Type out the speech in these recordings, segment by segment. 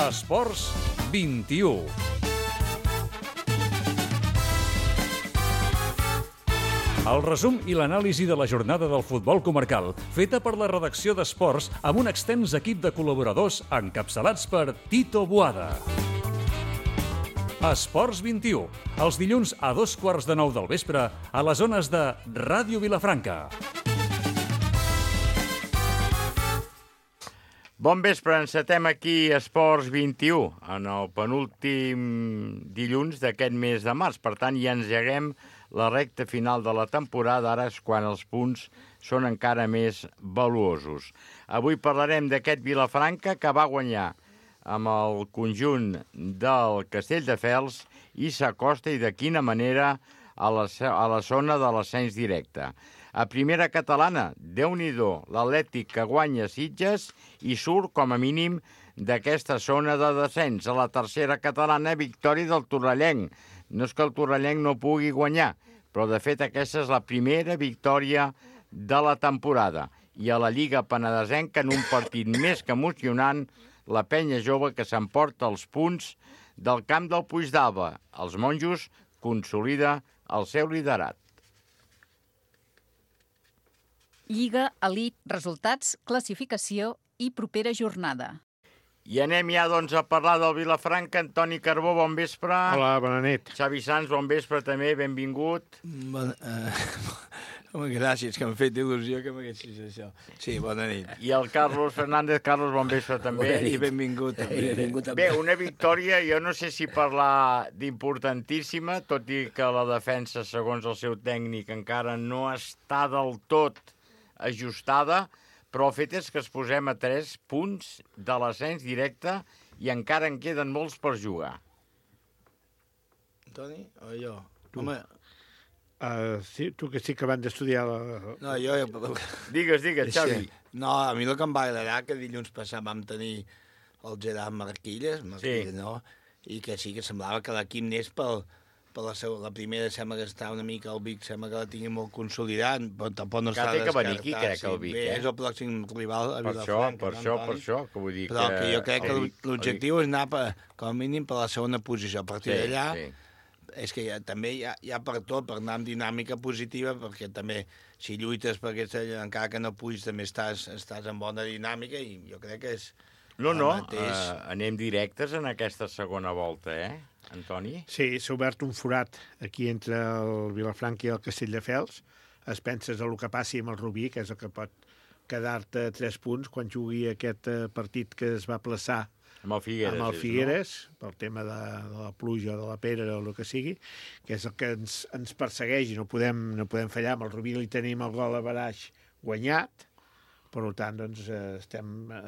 Esports 21. El resum i l'anàlisi de la jornada del futbol comarcal, feta per la redacció d'Esports amb un extens equip de col·laboradors encapçalats per Tito Boada. Esports 21, els dilluns a 8:15 del vespre a les zones de Ràdio Vilafranca. Bon vespre, encetem aquí Esports 21, en el penúltim dilluns d'aquest mes de març. Per tant, ja engeguem la recta final de la temporada, ara és quan els punts són encara més valuosos. Avui parlarem d'aquest Vilafranca que va guanyar amb el conjunt del Castelldefels i s'acosta, i de quina manera, a la zona de l'ascens directe. A primera catalana, Déu-n'hi-do, l'Atlètic que guanya Sitges i surt com a mínim d'aquesta zona de descens. A la tercera catalana, victòria del Torrellenc. No és que el Torrellenc no pugui guanyar, però de fet aquesta és la primera victòria de la temporada. I a la Lliga Penedesenca, en un partit més que emocionant, la penya jove que s'emporta els punts del camp del Puigdàlber. Els monjos consolida el seu liderat. Lliga, elit, resultats, classificació i propera jornada. I anem ja, doncs, a parlar del Vilafranca. Antoni Carbó, bon vespre. Hola, bona nit. Xavi Sans, bon vespre també, benvingut. Home, gràcies, que m'ha fet il·lusió que m'haguessis això. Sí, bona nit. I el Carlos Fernández. Carlos, bon vespre també. I benvingut. Bé, una victòria, jo no sé si parlar d'importantíssima, tot i que la defensa, segons el seu tècnic, encara no està del tot ajustada, però el fet és que es posem a 3 punts de l'ascens directe i encara en queden molts per jugar. Toni o jo? Tu. Home, Sí, tu que sí que van d'estudiar la... no, jo... Digues, Xavi. No, a mi el que em va agradar que dilluns passat vam tenir el Gerard Marquilles, no? I que sí que semblava que l'equip n'és per la primera, sembla que està una mica el Vic, sembla que la tingui molt consolidat, però tampoc no està Que té que venir descartat. aquí, crec, el Vic, Bé, és el pròxim rival a Vilafranca. Per això, que vull dir però que jo crec que el Vic- l'objectiu és anar, com a mínim, per la segona posició. A partir d'allà, Sí. és que també hi ha per tot, per anar amb dinàmica positiva, perquè també, si lluites per aquesta, encara que no puguis, també estàs en bona dinàmica, i jo crec que és... No, mateix. anem directes en aquesta segona volta, Antoni? Sí, s'ha obert un forat aquí entre el Vilafranca i el Castelldefels. Es penses en el que passi amb el Rubí, que és el que pot quedar-te 3 punts quan jugui aquest partit que es va plaçar Amb el Figueres. amb el Figueres, pel tema de la pluja o de la pedra o el que sigui, que és el que ens persegueix i no podem fallar. Amb el Rubí li tenim el gol a baraix guanyat, per tant, doncs,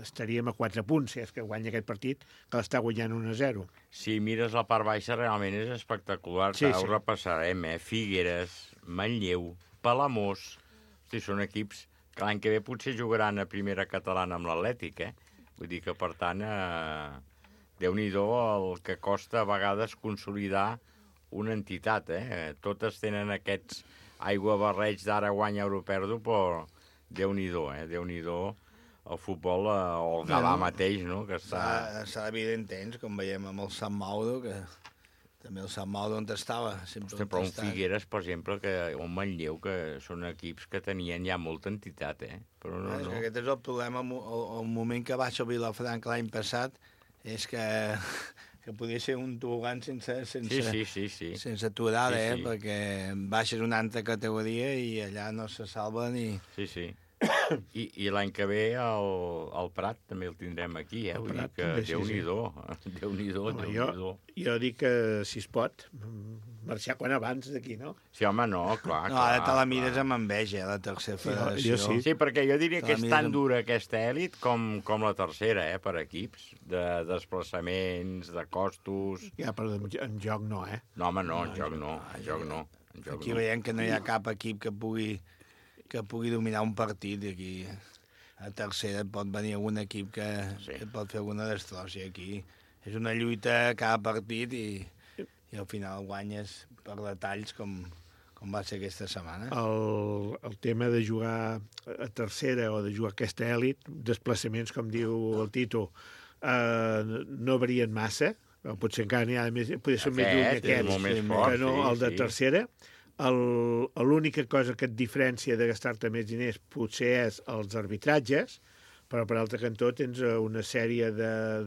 estaríem a 4 punts, si és que guanya aquest partit, que l'està guanyant 1-0. Si mires la part baixa, realment és espectacular. Sí, Ho sí. repassarem, Figueres, Manlleu, Palamós. Hosti, són equips que l'any que ve potser jugaran a primera catalana amb l'Atlètic, Vull dir que, per tant, Déu-n'hi-do el que costa a vegades consolidar una entitat, Totes tenen aquests aigua-barreig d'ara guanya, euro perdo, però Déu-n'hi-do, Déu-n'hi-do el futbol, o el Gavà mateix, no?, que està... S'ha de viure intens, com veiem amb el Sant Mauro, que també el Sant Mauro on estava. Hosti, però un Figueres, per exemple, o un Manlleu, que són equips que tenien ja molta entitat, Però no. És que aquest és el problema, el moment que baixa el Vilafranca l'any passat, és que podia ser un tobogan sense Sí. sense aturada, Sí. perquè baixes una altra categoria i allà no se salva ni... Sí. I l'any que ve el Prat també el tindrem aquí, Vull dir Prat que també, sí, Déu-n'hi-do. Home, jo dic que, si es pot, marxar quan abans d'aquí, no? Sí, home, no, clar. No, ara te la mires amb enveja, la tercera federació. jo sí. Sí, perquè jo diria que és tan amb- dura aquesta èlit com la tercera, per equips, de desplaçaments, de costos... Ja, però en joc no, No, home, no, en joc no. Aquí veiem que no hi ha cap equip que pugui dominar un partit, i aquí a tercera pot venir algun equip que pot fer alguna destrossa. Aquí és una lluita cada partit i al final guanyes per detalls com va ser aquesta setmana. El tema de jugar a tercera o de jugar a aquesta èlit, desplaçaments, com diu el Tito, no varien massa, potser encara n'hi ha més, potser són més lluny Aquest és molt més aquests fort, que no sí, el de sí. tercera. L'única cosa que et diferència de gastar-te més diners potser és els arbitratges, però per altre cantó tens una sèrie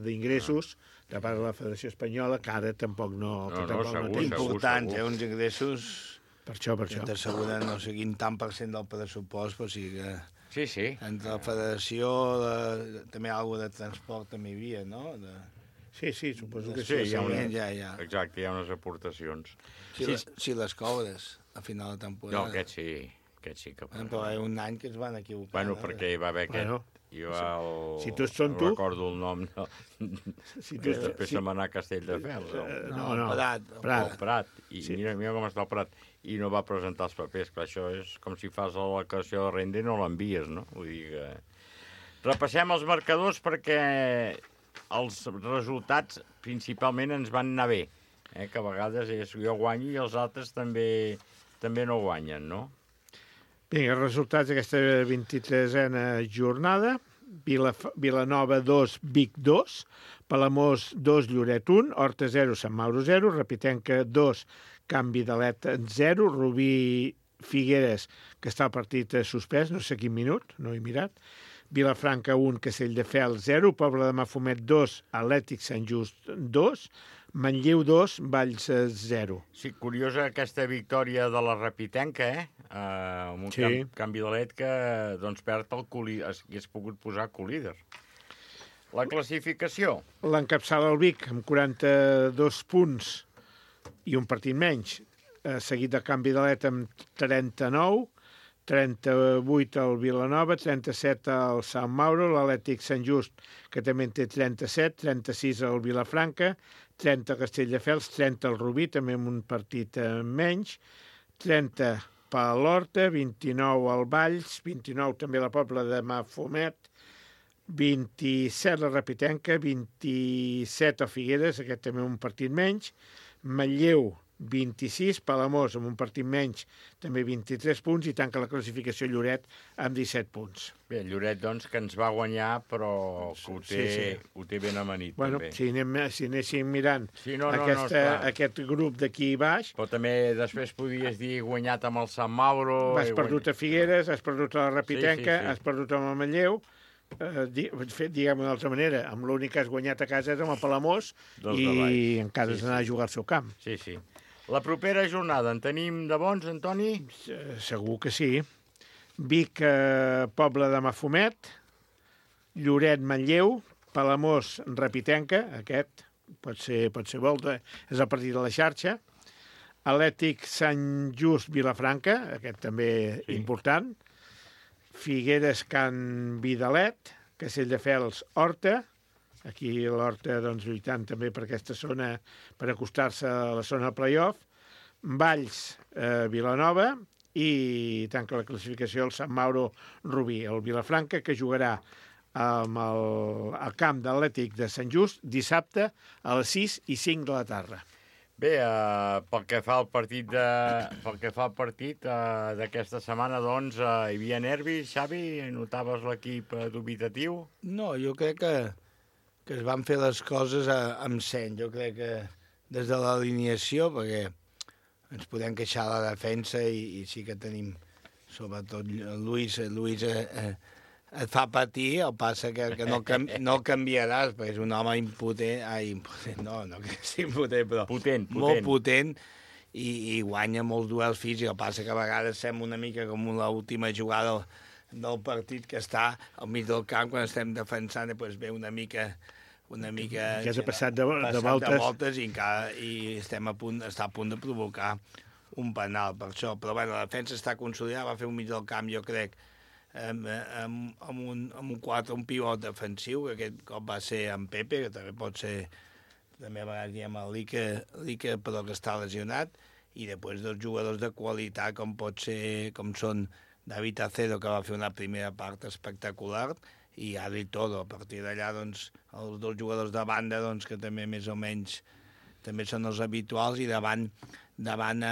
d'ingressos de part de la Federació Espanyola que ara tampoc no... segur, tens. Importants, uns ingressos Per això. que t'asseguren no sé quin tant per cent del pressupost, però sí que Sí. entre la federació, també alguna de transport també hi havia, no? Sí, suposo que Sí, sí. hi ha una... Ja. Exacte, hi ha unes aportacions. Si les cobres a final de temporada. No, aquest sí que... Però hi ha un any que es van equivocar. Bueno, perquè hi va haver aquest... Bueno, jo si tots són tu... No recordo el nom, no. Després se'm va anar a Castelldefels. No. Prat. I mira com està el Prat. I no va presentar els papers, que això és com si fas la declaració de renda i no l'envies, no? Vull dir que... Repassem els marcadors perquè els resultats principalment ens van anar bé, que a vegades jo guanyo i els altres també no guanyen, no? Vinga, els resultats d'aquesta 23a jornada. Vilanova 2, Vic 2, Palamós 2, Lloret 1, Horta 0, Sant Mauro 0, Repitenca 2, Can Vidalet 0, Rubí Figueres, que està el partit suspès, no sé quin minut, no he mirat, Vilafranca 1, Castelldefels 0, Pobla de Mafumet 2, Atlètic Sant Just 2, Manlleu 2, Valls 0. Sí, curiosa aquesta victòria de la Repitenca, amb un canvi de let que doncs, perd el hagués pogut posar co-líder. La classificació. L'encapçala el Vic amb 42 punts i un partit menys, seguit de canvi de let amb 39, 38 al Vilanova, 37 al Sant Mauro, l'Atlètic Sant Just, que també en té 37, 36 al Vilafranca, 30 al Castelldefels, 30 al Rubí, també amb un partit menys, 30 per l'Horta, 29 al Valls, 29 també a la Pobla de Mafumet, 27 la Repitenca, 27 a Figueres, aquest també un partit menys, Manlleu 26, Palamós amb un partit menys, també 23 punts, i tanca la classificació Lloret amb 17 punts. Bé, Lloret, doncs, que ens va guanyar, però que ho té ben amanit, també. Si anéssim mirant aquest grup d'aquí baix... Però també després podies dir guanyat amb el Sant Mauro... Has perdut a Figueres, has perdut a la Repitenca, has perdut amb el Manlleu... diguem-ho d'una altra manera, amb l'únic que has guanyat a casa és amb el Palamós i encara has d'anar a jugar al seu camp. Sí. La propera jornada en tenim de bons, Antoni? Segur que sí. Vic, Pobla de Mafumet, Lloret, Manlleu, Palamós, Repitenca, aquest pot ser volta, és el partit de la xarxa, Atlètic, Sant Just, Vilafranca, aquest també important, Figueres, Can Vidalet, Castelldefels, Horta, aquí l'Horta doncs, lluitant també per aquesta zona, per acostar-se a la zona playoff, Valls, Vilanova, i tanca la classificació el Sant Mauro Rubí, el Vilafranca, que jugarà al camp d'Atlètic de Sant Just dissabte a les 6 i 5 de la tarda. Bé, pel que fa al partit d'aquesta setmana, doncs, hi havia nervis, Xavi? Notaves l'equip dubitatiu? No, jo crec que es van fer les coses amb seny. Jo crec que des de l'alineació, perquè ens podem queixar de la defensa i sí que tenim, sobretot Luis et fa patir, el passa que no el canviaràs, perquè és un home impotent, no que sigui impotent, però molt potent, i guanya molts duels físics. El passa que a vegades sembla una mica com l'última jugada del partit, que està al mig del camp quan estem defensant, i doncs ve una mica que s'ha passat de voltes i està a punt de provocar un penal per això. Però bueno, la defensa està consolidada, va fer un mig del camp, jo crec, amb un 4, un pivot defensiu, que aquest cop va ser en Pepe, que també pot ser, també a vegades diem el Lique, però que està lesionat, i després dos jugadors de qualitat com són David Acedo, que va fer una primera part espectacular, i Adri Todo. A partir d'allà, doncs, els dos jugadors de banda, doncs, que també més o menys també són els habituals, i davant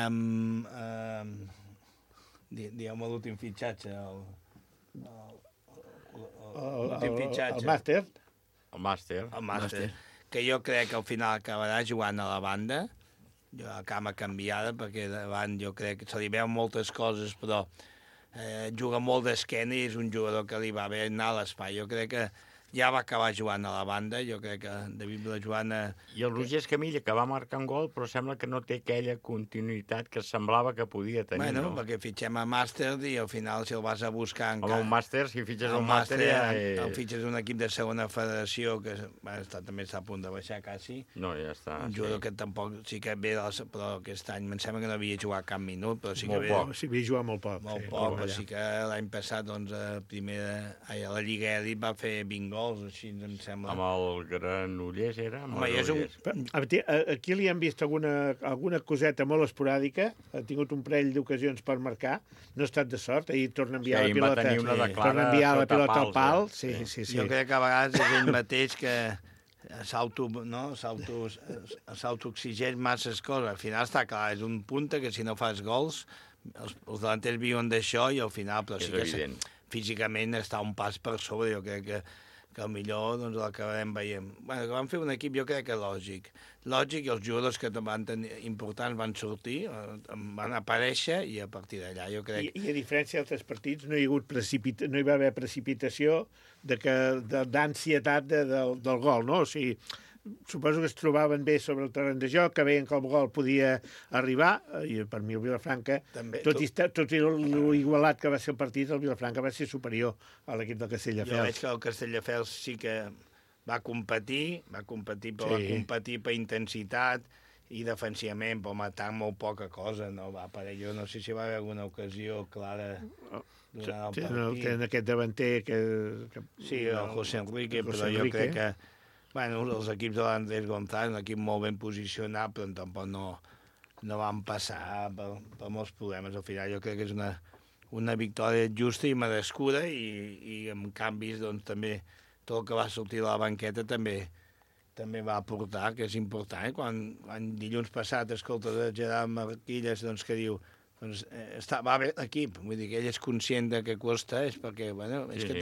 amb diguem l'últim fitxatge, el màster. El màster. El màster, que jo crec que al final acabarà jugant a la banda, a cama canviada, perquè davant jo crec que se li veuen moltes coses, però juga molt d'esquena i és un jugador que li va bé anar a l'espai. Jo crec que ja va acabar jugant a la banda, jo crec que David Vilajoana... I el Roger Escamilla, que va marcar un gol, però sembla que no té aquella continuïtat que semblava que podia tenir, Bueno, no? perquè fitxem a màster i al final si el vas a buscar Home, un màster, si fitxes un màster ja... El fitxes un equip de segona federació que també està a punt de baixar quasi. No, ja està. Un jugador que tampoc sí que ve, però aquest any em sembla que no havia jugat cap minut, però sí que Molt ve... poc. Sí, havia jugat molt poc. Molt poc, però sí que l'any passat, doncs, a la Lliga Elit va fer 20 gols, així em sembla. Amb el Granollers era? Home, és un... Aquí li han vist alguna coseta molt esporàdica, ha tingut un parell d'ocasions per marcar, no ha estat de sort, ahir torna a enviar la pilota, torna a enviar la pilota al pal. Sí. Jo crec que a vegades és ell mateix que s'autoexigeix masses coses. Al final està clar, és un punta que si no fas gols, els delanters viuen d'això i al final, però sí que físicament està un pas per sobre, jo crec que el millor doncs, l'acabarem veient. Bueno, que van fer un equip jo crec que lògic, i els jugadors que van tenir importants van sortir, van aparèixer i a partir d'allà jo crec... I a diferència d'altres partits no hi va haver precipitació d'ansietat del gol, no? O sigui, suposo que es trobaven bé sobre el terreny de joc, que veien que el gol podia arribar, i per mi el Vilafranca, tot i l'igualat que va ser el partit, el Vilafranca va ser superior a l'equip del Castelldefels. Jo veig que el Castelldefels sí que va competir, va competir per intensitat i defensivament, però matar molt poca cosa, no va aparèixer. Jo no sé si va haver alguna ocasió clara durant el partit. Tenen aquest davanter que... Sí, el José Enrique, però jo crec que bueno, els equips de l'Andrés González, un equip molt ben posicionat, però tampoc no van passar per molts problemes. Al final jo crec que és una victòria justa i merescuda i amb canvis doncs, també tot el que va sortir de la banqueta també va aportar, que és important. Quan dilluns passat escoltes el Gerard Marquilles doncs, que diu doncs, va bé l'equip, vull dir que ell és conscient de que costa, és perquè bueno, és que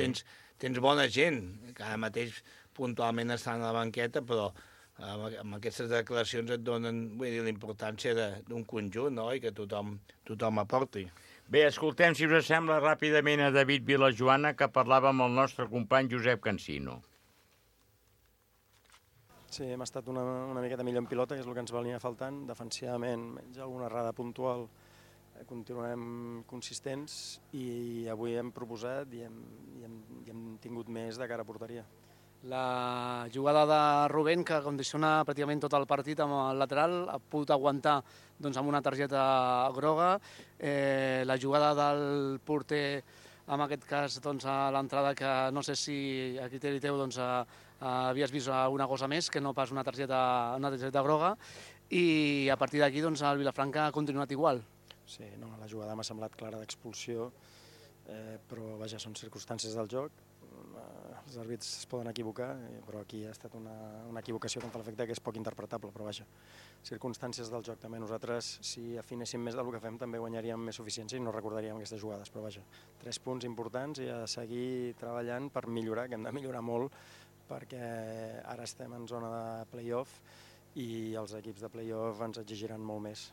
tens bona gent, que ara mateix puntualment estan a la banqueta, però amb aquestes declaracions et donen la importància d'un conjunt, no? I que tothom aporti. Bé, escoltem, si us sembla, ràpidament a David Vilajoana, que parlava amb el nostre company Josep Cancino. Sí, hem estat una miqueta millor en pilota, que és el que ens venia faltant. Defensivament, menys alguna errada puntual, continuem consistents i avui hem proposat i hem tingut més de cara a porteria. La jugada de Rubén, que condiciona pràcticament tot el partit amb el lateral, ha pogut aguantar doncs, amb una targeta groga. La jugada del porter, en aquest cas doncs, a l'entrada, que no sé si a criteri teu doncs, havies vist alguna cosa més que no pas una targeta groga, i a partir d'aquí doncs, el Vilafranca ha continuat igual. Sí, no, la jugada m'ha semblat clara d'expulsió, però vaja, són circumstàncies del joc. Els àrbits es poden equivocar, però aquí ha estat una equivocació que em fa l'efecte que és poc interpretable, però vaja, circumstàncies del joc també. Nosaltres, si afinéssim més del que fem, també guanyaríem més suficiència i no recordaríem aquestes jugades, però vaja, 3 punts importants i a seguir treballant per millorar, que hem de millorar molt, perquè ara estem en zona de play-off i els equips de play-off ens exigiran molt més.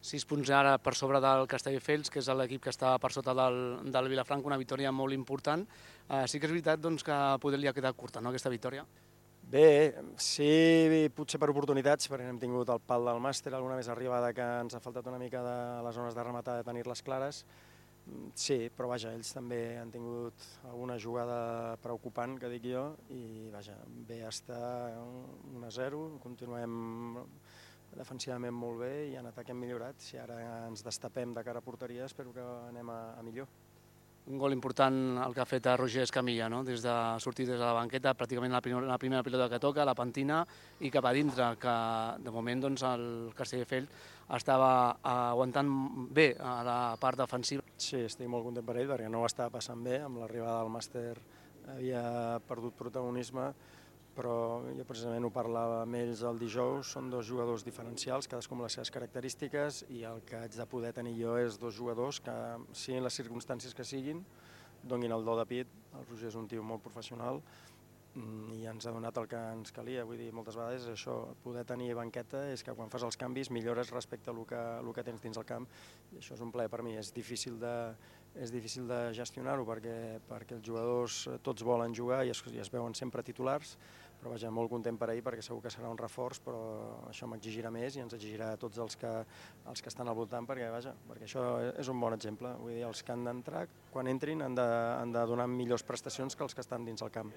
6 punts ara per sobre del Castelldefels, que és l'equip que està per sota del Vilafranca, una victòria molt important. Sí que és veritat doncs, que poder li ha quedat curta, no, aquesta victòria? Bé, sí, potser per oportunitats, perquè hem tingut el pal del màster, alguna més arribada que ens ha faltat una mica de les zones de rematar, de tenir-les clares. Sí, però vaja, ells també han tingut alguna jugada preocupant, que dic jo, i vaja, bé estar 1-0, continuem defensivament molt bé i en atac hem millorat. Si ara ens destapem de cara a porteria, espero que anem a millor. Un gol important el que ha fet a Roger Escamilla, no? Sortir des de la banqueta, pràcticament la primera pilota que toca, la pentina i cap a dintre, que de moment doncs, el Castelldefels estava aguantant bé a la part defensiva. Sí, estic molt content per ell perquè no ho estava passant bé, amb l'arribada del màster havia perdut protagonisme, però jo precisament ho parlava amb ells el dijous, són 2 jugadors diferencials, cadascú amb les seves característiques, i el que haig de poder tenir jo és 2 jugadors que, siguin les circumstàncies que siguin, donin el do de pit. El Roger és un tio molt professional i ens ha donat el que ens calia. Vull dir, moltes vegades això, poder tenir banqueta és que quan fas els canvis millores respecte a el que tens dins el camp, i això és un plaer per mi. És difícil de gestionar-ho perquè els jugadors tots volen jugar i es veuen sempre titulars, però vaja, molt content per ahir perquè segur que serà un reforç, però això m'exigirà més i ens exigirà a tots els que estan al voltant, perquè això és un bon exemple. Vull dir, els que han d'entrar, quan entrin, han de donar millors prestacions que els que estan dins el camp.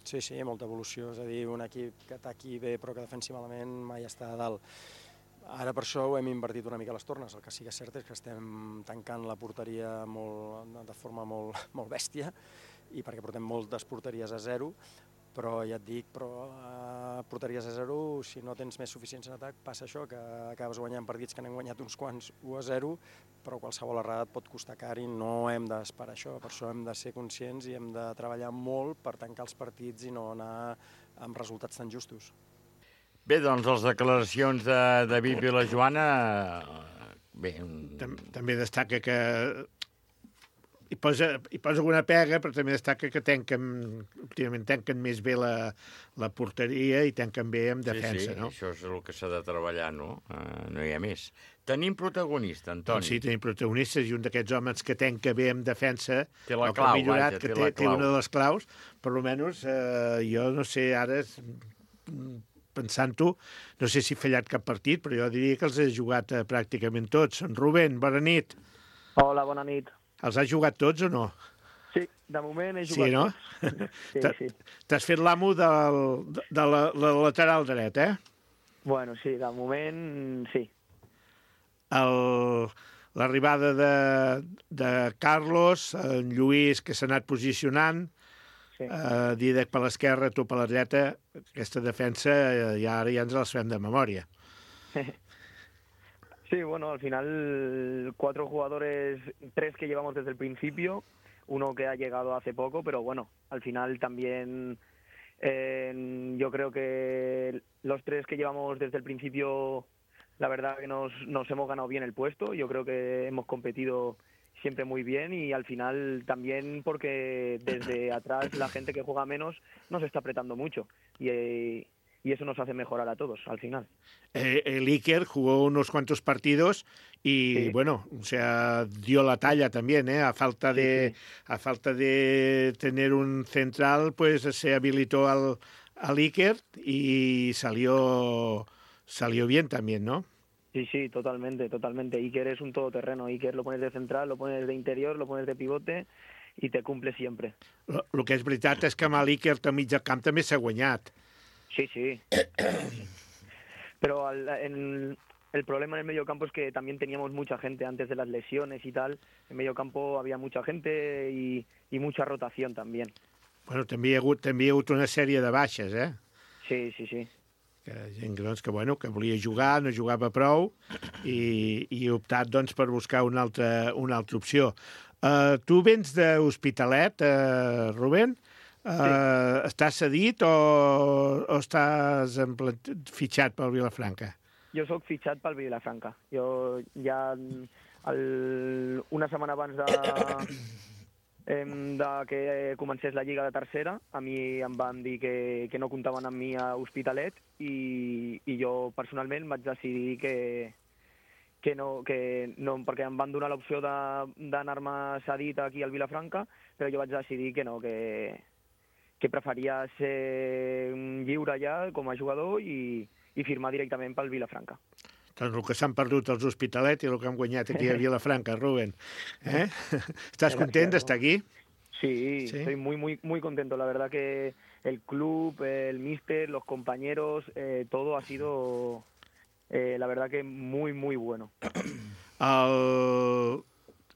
Sí, molta evolució, és a dir, un equip que ataqui bé però que defensi malament mai està a dalt. Ara per això ho hem invertit una mica les tornes. El que sí que és cert és que estem tancant la porteria de forma molt bèstia, i perquè portem moltes porteries a zero, però ja et dic, porteries a zero, si no tens més suficiència en atac, passa això, que acabes guanyant partits que n'hem guanyat uns quants 1-0, però qualsevol errada et pot costar car i no hem d'esperar això. Per això hem de ser conscients i hem de treballar molt per tancar els partits i no anar amb resultats tan justos. Bé, doncs les declaracions de David Vilajoana... Bé, també destaca que hi posa alguna pega, però també destaca que últimament tanquen més bé la porteria i tanquen bé en defensa, no? Això és el que s'ha de treballar, no? No hi ha més. Tenim protagonista, Antoni. Sí, tenim protagonistes, i un d'aquests homes que tanca bé en defensa, té la clau, millorat, que té una de les claus, per almenys jo no sé, ara pensant-ho, no sé si ha fallat cap partit, però jo diria que els he jugat pràcticament tots. Rubén, bona nit. Hola, bona nit. Els has jugat tots o no? Sí, de moment he jugat tots. Sí. T'has fet l'amo de la lateral dret, eh? Bueno, sí, de moment sí. L'arribada de Carlos, en Lluís, que s'ha anat posicionant, Dídac per l'esquerra, tu per la dreta, aquesta defensa ara ja ens la fem de memòria. Sí, bueno, al final 4 jugadores, 3 que llevamos desde el principio, uno que ha llegado hace poco, pero bueno, al final también yo creo que los 3 que llevamos desde el principio, la verdad que nos hemos ganado bien el puesto. Yo creo que hemos competido siempre muy bien y al final también porque desde atrás la gente que juega menos nos está apretando mucho y eso nos hace mejorar a todos al final. El Iker jugó unos cuantos partidos y sí. Bueno, o sea, dio la talla también, a falta de tener un central, pues se habilitó al Iker y salió bien también, ¿no? Sí, totalmente. Iker es un todoterreno. Iker lo pones de central, lo pones de interior, lo pones de pivote i te cumple sempre. El que és veritat és que amb l'Iker al mig del camp també s'ha guanyat. Sí. Pero el problema en el medio campo es que también teníamos mucha gente antes de las lesiones y tal. En medio campo había mucha gente y mucha rotación también. Bueno, també hi ha hagut una sèrie de baixes, eh? Sí. Gent que volia jugar, no jugava prou i ha optat doncs, per buscar una altra opció. Tu vens d'Hospitalet, Rubén? Sí. Estàs cedit o estàs fitxat pel Vilafranca? Jo soc fitxat pel Vilafranca. Jo ja una setmana abans de que comencés la Lliga de Tercera, a mi em van dir que no comptaven amb mi a Hospitalet i jo personalment vaig decidir que no, perquè em van donar l'opció d'anar-me cedit aquí al Vilafranca, però jo vaig decidir que no, que preferia ser lliure ja com a jugador i firmar directament pel Vilafranca. Doncs el que s'han perdut els Hospitalet i el que han guanyat aquí a Vilafranca, Rubén. ¿Estás content d'estar aquí? Sí, estoy muy contento. La verdad que el club, el míster, los compañeros, todo ha sido, la verdad que muy bueno.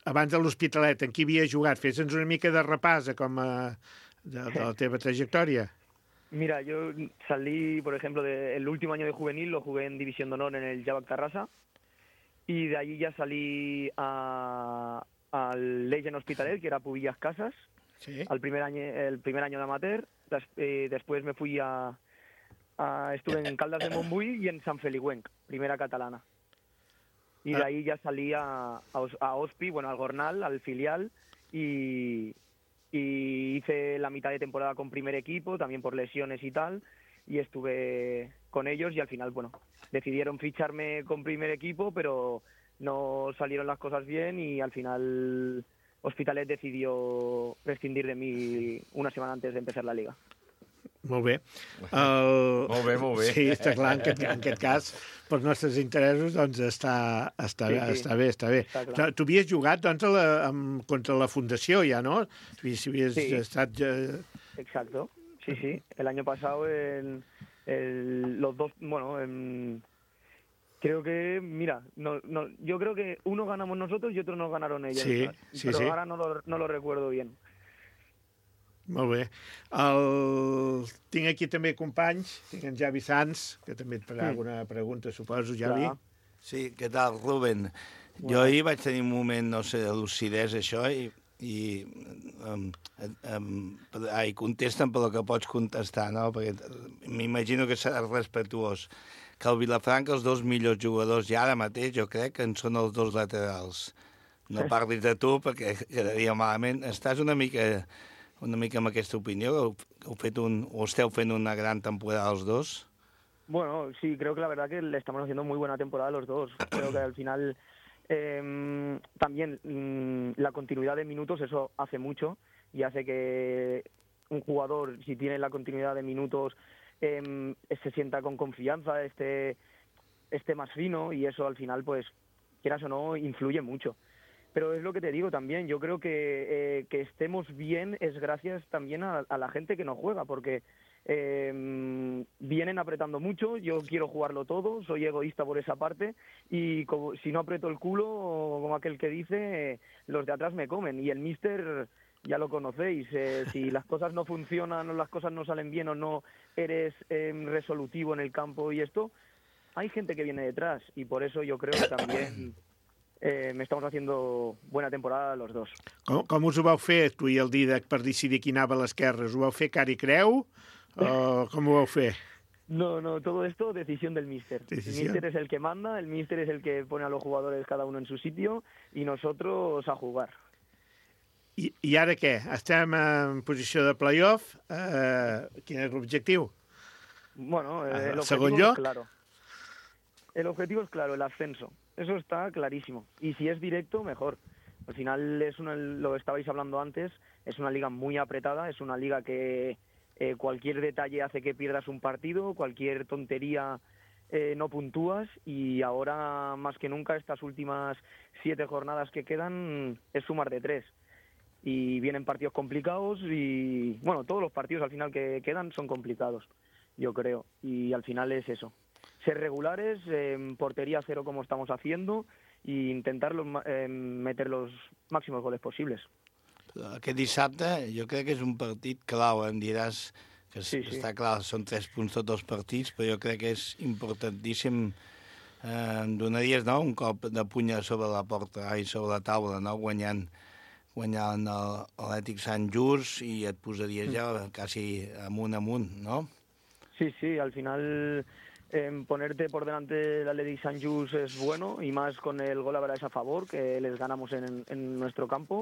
Abans de l'Hospitalet, en qui havia jugat? Fes-nos una mica de repàs de la teva trajectòria. Mira, yo salí, por ejemplo, el último año de juvenil lo jugué en División de Honor en el Javac Tarrasa y de allí ya salí al Legend Hospitalet, que era Pubillas Casas, sí. El primer año de amateur. Después me fui estuve en Caldas de Montbui y en San Feliuenc, primera catalana. Y de ahí ya salí a Hospi, bueno, al Gornal, al filial, y y hice la mitad de temporada con primer equipo, también por lesiones y tal, y estuve con ellos y al final, bueno, decidieron ficharme con primer equipo, pero no salieron las cosas bien y al final Hospitalet decidió prescindir de mí una semana antes de empezar la liga. Molt bé. Molt bé, molt bé. Sí, està clar, en aquest cas, pels nostres interessos, doncs està bé. Està clar. Tu havies jugat, doncs, contra la Fundació, ja, no? Si havies Sí. estat... Exacto, sí. El año pasado los dos, bueno, creo que, mira, yo creo que uno ganamos nosotros y otro nos ganaron ellos. Sí, pero sí. ahora no lo recuerdo bien. Molt bé. Tinc aquí també companys, tinc en Javi Sanz, que també et farà alguna pregunta, suposo, Javi. Clar. Sí, què tal, Ruben? Jo ahir vaig tenir un moment, no sé, de lucidesa, això, i contesten per lo que pots contestar, no? Perquè m'imagino que seràs respetuós. Que al Vilafranca els dos millors jugadors ja ara mateix, jo crec que en són els dos laterals. No parlis de tu, perquè quedaria malament. Estàs una mica amb aquesta opinió? ¿O esteu fent una gran temporada los dos? Bueno, sí, creo que la verdad que le estamos haciendo muy buena temporada los dos. Creo que al final también la continuidad de minutos, eso hace mucho y hace que un jugador, si tiene la continuidad de minutos, se sienta con confianza, esté más fino y eso al final, pues, quieras o no, influye mucho. Pero es lo que te digo también, yo creo que estemos bien es gracias también a la gente que no juega, porque vienen apretando mucho, yo quiero jugarlo todo, soy egoísta por esa parte, y si no aprieto el culo, como aquel que dice, los de atrás me comen, y el míster ya lo conocéis, si las cosas no funcionan o las cosas no salen bien o no eres resolutivo en el campo y esto, hay gente que viene detrás, y por eso yo creo que también... me estamos haciendo buena temporada los dos. Com us ho vau fer, tu i el Didac, per decidir qui anava a l'esquerra? Us ho vau fer cara i creu? O com ho vau fer? No, todo esto decisión del míster. El míster es el que manda, el míster es el que pone a los jugadores cada uno en su sitio y nosotros a jugar. I ara què? Estem en posició de playoff. Quin és l'objectiu? Bueno, el ¿Segon objetivo lloc? es claro. El objetivo es claro, el ascenso. Eso está clarísimo. Y si es directo, mejor. Al final, lo estabais hablando antes, es una liga muy apretada, es una liga que cualquier detalle hace que pierdas un partido, cualquier tontería no puntúas, y ahora más que nunca estas últimas 7 jornadas que quedan es sumar de 3. Y vienen partidos complicados y, bueno, todos los partidos al final que quedan son complicados, yo creo. Y al final es eso. Ser regulares, portería cero como estamos haciendo e intentar meter los máximos goles posibles. Aquest dissabte jo crec que és un partit clau, em diràs que sí. Està clar, són 3 punts tots els partits, però jo crec que és importantíssim. Em donaries, no?, un cop de puny sobre la porta i sobre la taula, no?, guanyant l'Atlètic Sant Just, i et posaries ja quasi amunt, no? Sí, al final... ponerte por delante del Atlètic Sant Just es bueno, y más con el gol average a favor, que les ganamos en nuestro campo.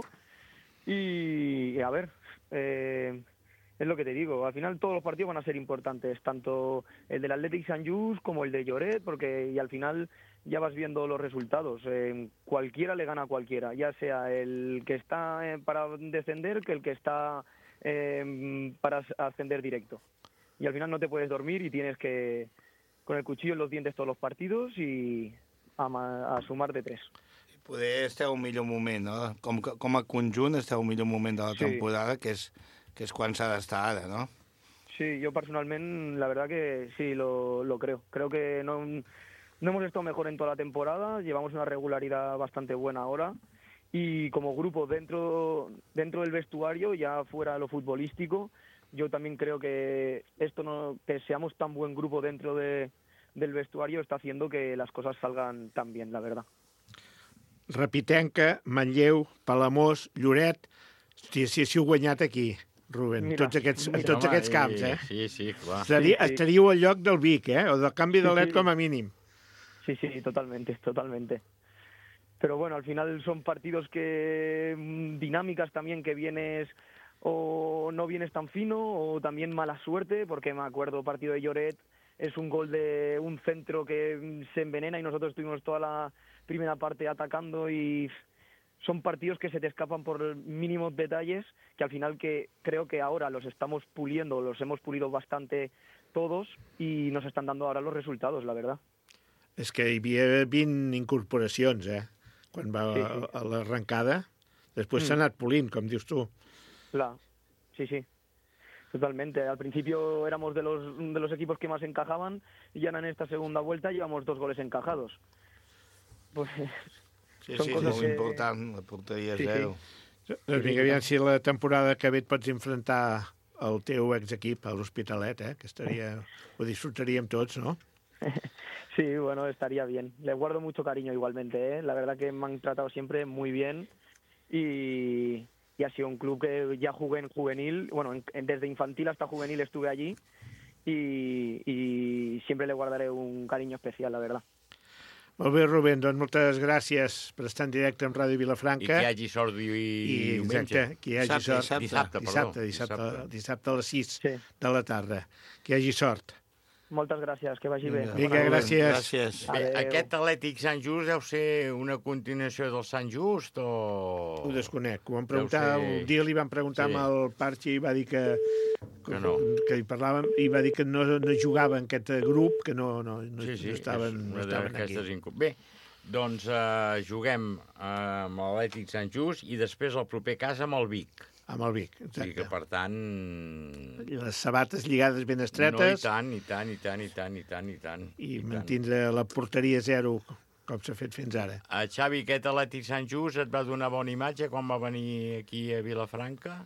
Y a ver, es lo que te digo, al final todos los partidos van a ser importantes, tanto el del Atlètic Sant Just como el de Lloret, porque y al final ya vas viendo los resultados. Cualquiera le gana a cualquiera, ya sea el que está para descender que el que está para ascender directo. Y al final no te puedes dormir y tienes que... con el cuchillo en los dientes todos los partidos i a sumar de 3. Poder esteu un millor moment, no? Com a conjunt esteu un millor moment de la temporada, que és quan s'ha d'estar ara, no? Sí, yo personalmente, la verdad que sí, lo creo. Creo que no hemos estado mejor en toda la temporada, llevamos una regularidad bastante buena ahora, y como grupo dentro del vestuario, ya fuera lo futbolístico, yo también creo que que seamos tan buen grupo dentro del vestuario está haciendo que las cosas salgan tan bien, la verdad. Repitenca, Manlleu, Palamós, Lloret... Si heu guanyat aquí, Rubén, Mira, tots aquests camps, eh? Sí, clar. Estaríeu al lloc del Vic, o del canvi de LED com a mínim. Sí, totalmente. Pero bueno, al final son partidos dinámicas también, que vienes o no vienes tan fino, o también mala suerte, porque me acuerdo partido de Lloret, es un gol de un centro que se envenena y nosotros estuvimos toda la primera parte atacando y son partidos que se te escapan por mínimos detalles que al final que creo que ahora los estamos puliendo, los hemos pulido bastante todos y nos estan dando ahora los resultados, la verdad. És que hi havia 20 incorporacions, quan va a l'arrencada. Després s'ha anat polint, com dius tu. Claro, sí. Totalmente. Al principio éramos de los equipos que más encajaban y ahora en esta segunda vuelta llevamos 2 goles encajados. Pues Sí, són és coses molt important, la porteria 0. Doncs vinga, aviam si la temporada que ve et pots enfrontar al teu exequip, a l'Hospitalet, que ho disfrutaríem tots, no? Sí, bueno, estaría bien. Le guardo mucho cariño igualmente, La verdad que me han tratado siempre muy bien y ha sido un club que ya jugué en juvenil, bueno, desde infantil hasta juvenil estuve allí y siempre le guardaré un cariño especial, la verdad. Molt bé, Rubén, doncs moltes gràcies per estar en directe amb Ràdio Vilafranca. I que hi hagi sort diumenge. Exacte, que hi hagi sort. Dissabte a les 6 de la tarda. Que hi hagi sort. Moltes gràcies, que vagi bé. Vinga, gràcies. Bé, aquest Atlètic Sant Just deu ser una continuació del Sant Just o... Ho desconec. Un dia li van preguntar amb el Parchi i va dir que no. Que hi parlàvem, i va dir que no jugava en aquest grup, que no estaven aquí. Bé, doncs juguem amb l'Atlètic Sant Just i després el proper cas amb el Vic. Amb el Vic, exacte. O sigui que, per tant... I les sabates lligades ben estretes. No, i tant. I mantindre la porteria 0, com s'ha fet fins ara. Xavi, aquest Atlètic Sant Just et va donar bona imatge quan va venir aquí a Vilafranca?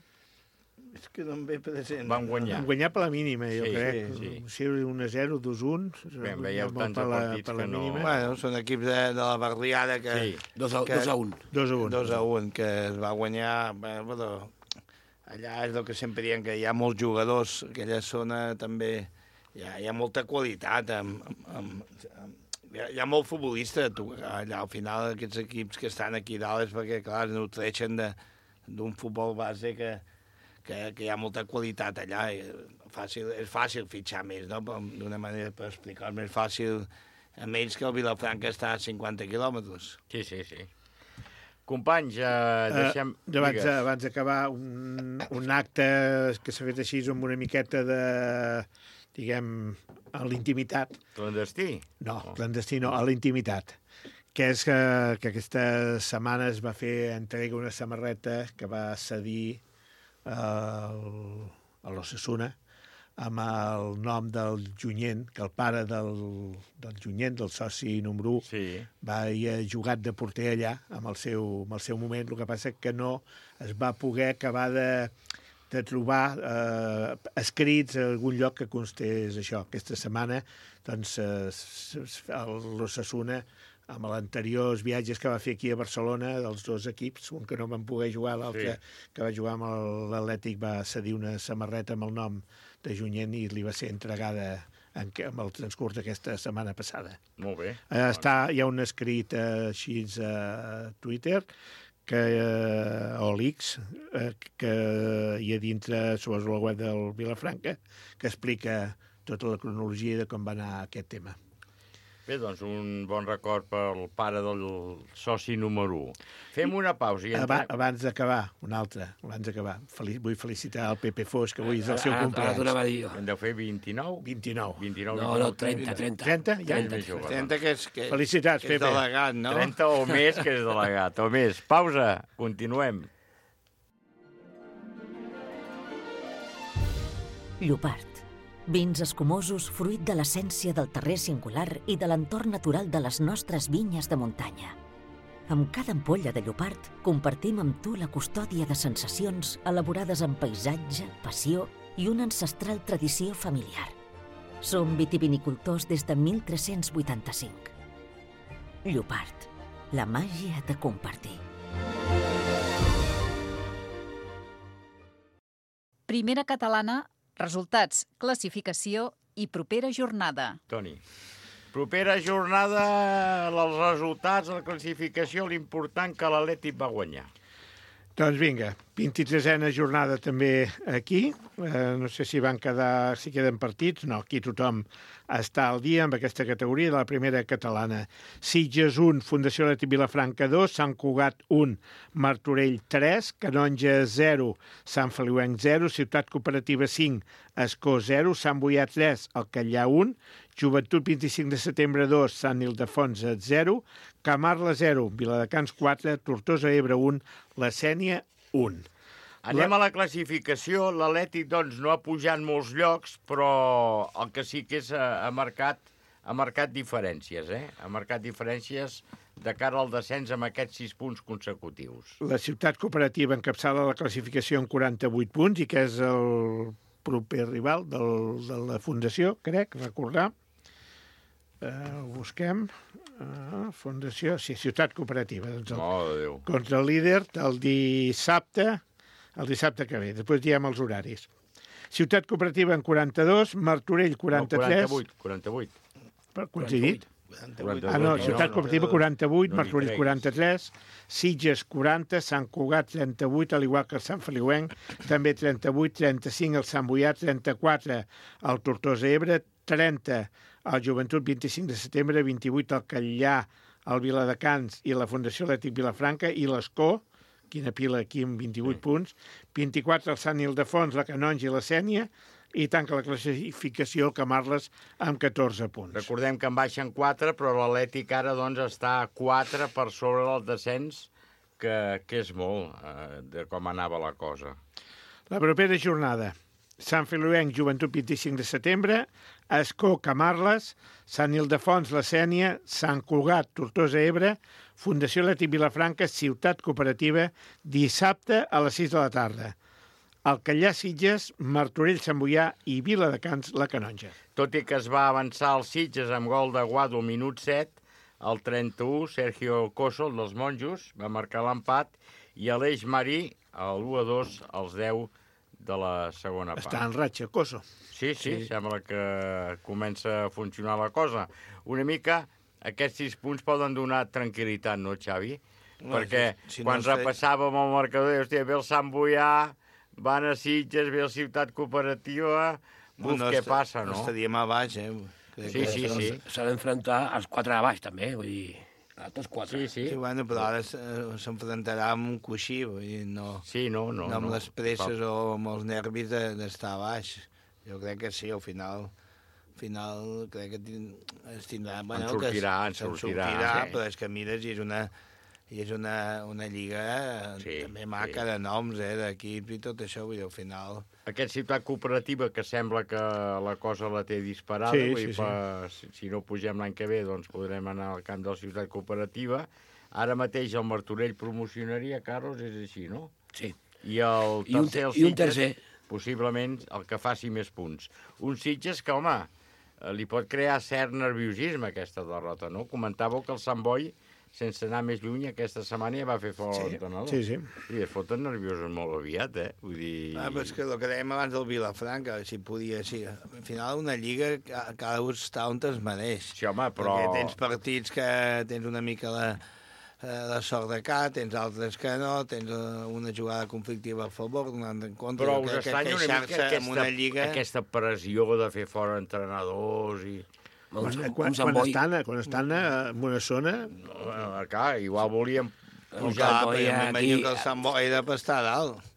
És que no em ve present. Van guanyar. Van guanyar per la mínima, jo crec. Sí. 1-0, 2-1. Bé, veieu tants partits que no... Bueno, són equips de la barriada que... Sí. 2-1. 2-1, que es va guanyar... Però allà és el que sempre diem, que hi ha molts jugadors, aquella zona també hi ha molta qualitat, hi ha molt futbolista allà. Al final aquests equips que estan aquí dalt és perquè, clar, es nutreixen d'un futbol base que hi ha molta qualitat allà. És fàcil fitxar més, no? D'una manera, per explicar, més fàcil amb ells que el Vilafranca està a 50 quilòmetres. Sí. Companys, deixem... Abans d'acabar, un acte que s'ha fet així amb una miqueta de, diguem, a l'intimitat. Clandestí? No, clandestí no, a l'intimitat. Que és que aquesta setmana es va fer entrega una samarreta que va cedir a l'Osasuna amb el nom del Junyent, que el pare del Junyent, del soci número 1, va haver jugat de porter allà amb el seu moment. El que passa que no es va poder acabar de trobar escrits a algun lloc que constés això. Aquesta setmana, doncs, l'Osasuna, amb els anteriors viatges que va fer aquí a Barcelona, dels 2 equips, un que no van poder jugar, l'altre que va jugar amb l'Atlètic, va cedir una samarreta amb el nom de Junyent i li va ser entregada amb el transcurs d'aquesta setmana passada. Molt bé. Hi ha un escrit així a Twitter o l'X que hi ha dintre sobre la web del Vilafranca que explica tota la cronologia de com va anar aquest tema. Bé, doncs un bon record pel pare del soci número 1. Fem una pausa i entrem... Abans d'acabar, una altra, vull felicitar el Pepe Fos, que avui és el seu cumpleaños. En deu fer 29? 29. No, 30. 30? Ja? 30 que és... Felicitats, Pepe. És delegat, no? 30 o més que és delegat, o més. Pausa, continuem. Llopart. Vins escumosos fruit de l'essència del terrer singular i de l'entorn natural de les nostres vinyes de muntanya. Amb cada ampolla de Llopart compartim amb tu la custòdia de sensacions elaborades amb paisatge, passió i una ancestral tradició familiar. Som vitivinicultors des de 1385. Llopart, la màgia de compartir. Primera catalana, resultats, classificació i propera jornada. Toni, propera jornada, els resultats, la classificació, l'important que l'Atlètic va guanyar. Doncs vinga, 23a jornada també aquí. No sé si queden partits. No, aquí tothom està al dia amb aquesta categoria de la primera catalana. Sitges 1, Fundació Atlètic Vilafranca 2, Sant Cugat 1, Martorell 3, Canonja 0, Sant Feliuenc 0, Ciutat Cooperativa 5, Escó 0, Sant Boià 3, Alcallà 1, Joventut 25 de setembre 2, Sant Ildefons 0, Camarla 0, Viladecans 4, Tortosa Ebre 1, La Sénia 1. Anem a la classificació. L'Atlètic, doncs, no ha pujat molts llocs, però el que sí que és ha marcat diferències, Ha marcat diferències de cara al descens amb aquests 6 punts consecutius. La Ciutat Cooperativa encapçala la classificació amb 48 punts i que és el proper rival de la Fundació, crec, recordar. Ho busquem. Fundació, sí, Ciutat Cooperativa. Doncs contra el líder el dissabte que ve. Després diem els horaris. Ciutat Cooperativa en 42, Martorell 43... No, 48. Per coincidit? Ciutat Cooperativa 48, Martorell 43, Sitges 40, Sant Cugat 38, al igual que el Sant Feliuenc, també 38, 35 el Sant Boià, 34 el Tortosa Ebre, 30 el Joventut 25 de setembre, 28 el Catllà, el Viladecans i la Fundació Atlètic Vilafranca i l'Escó, quina pila aquí amb 28 punts, 24 el Sant Ildefons, la Canonja i la Sénia, i tanca la classificació el Camarles amb 14 punts. Recordem que en baixen 4, però l'Atlètic ara doncs, està a 4 per sobre del descens, que és molt de com anava la cosa. La propera jornada. Sant Feliuenc, Joventut 25 de setembre, Escó, Camarles, Sant Ildefons, la Sénia, Sant Cugat, Tortosa Ebre, Fundació Atlètic Vilafranca, Ciutat Cooperativa, dissabte a les 6 de la tarda. Alcallà, Sitges, Martorell, Sant Boià i Viladecans, la Canonja. Tot i que es va avançar als Sitges amb gol de Guado al minut 7, al 31, Sergio Coso, dels Monjos, va marcar l'empat, i Aleix Marí, a l'1-2, als 10 de la segona part. Està en ratxa, Coso. Sí, sembla que comença a funcionar la cosa. Una mica, aquests 6 punts poden donar tranquil·litat, no, Xavi? Perquè quan repassàvem el marcador, hòstia, ve el Sant Boià, van a Sitges, ve la Ciutat Cooperativa, què passa, no? Estaríem a baix, Sí. S'ha d'enfrontar als 4 de baix, també, vull dir, a tots 4. Sí. Sí, bueno, però ara s'enfrontarà amb un coixí, vull dir, no amb les presses o amb els nervis d'estar a baix. Jo crec que sí, al final crec que es tindrà... En sortirà, però és que mires i és una lliga també maca de noms, d'equips i tot això, vull dir, al final... Aquesta Ciutat Cooperativa, que sembla que la cosa la té disparada, si no pugem l'any que ve, doncs podrem anar al camp de la Ciutat Cooperativa. Ara mateix el Martorell promocionaria, Carlos, és així, no? Sí. I el tercer, un tercer. Possiblement el que faci més punts. Un Sitges que, home, li pot crear cert nerviosisme aquesta derrota, no? Comentàveu que el Sant Boi, sense anar més lluny, aquesta setmana ja va fer fora l'entrenador. Sí. I es foten nerviosos molt aviat, Vull dir... Però és que el que dèiem abans del Vilafranca, si podia... Sí, al final una lliga cada un està on es mereix. Sí, home, però... Perquè tens partits que tens una mica la sort de cá, tens altres que no, tens una jugada conflictiva a favor, una en contra... Però us estranya una mica aquesta pressió de fer fora entrenadors i... Quan estan en una zona... Clar, igual volíem pujar... M'imagino que el Sant Boi ha de estar a dalt.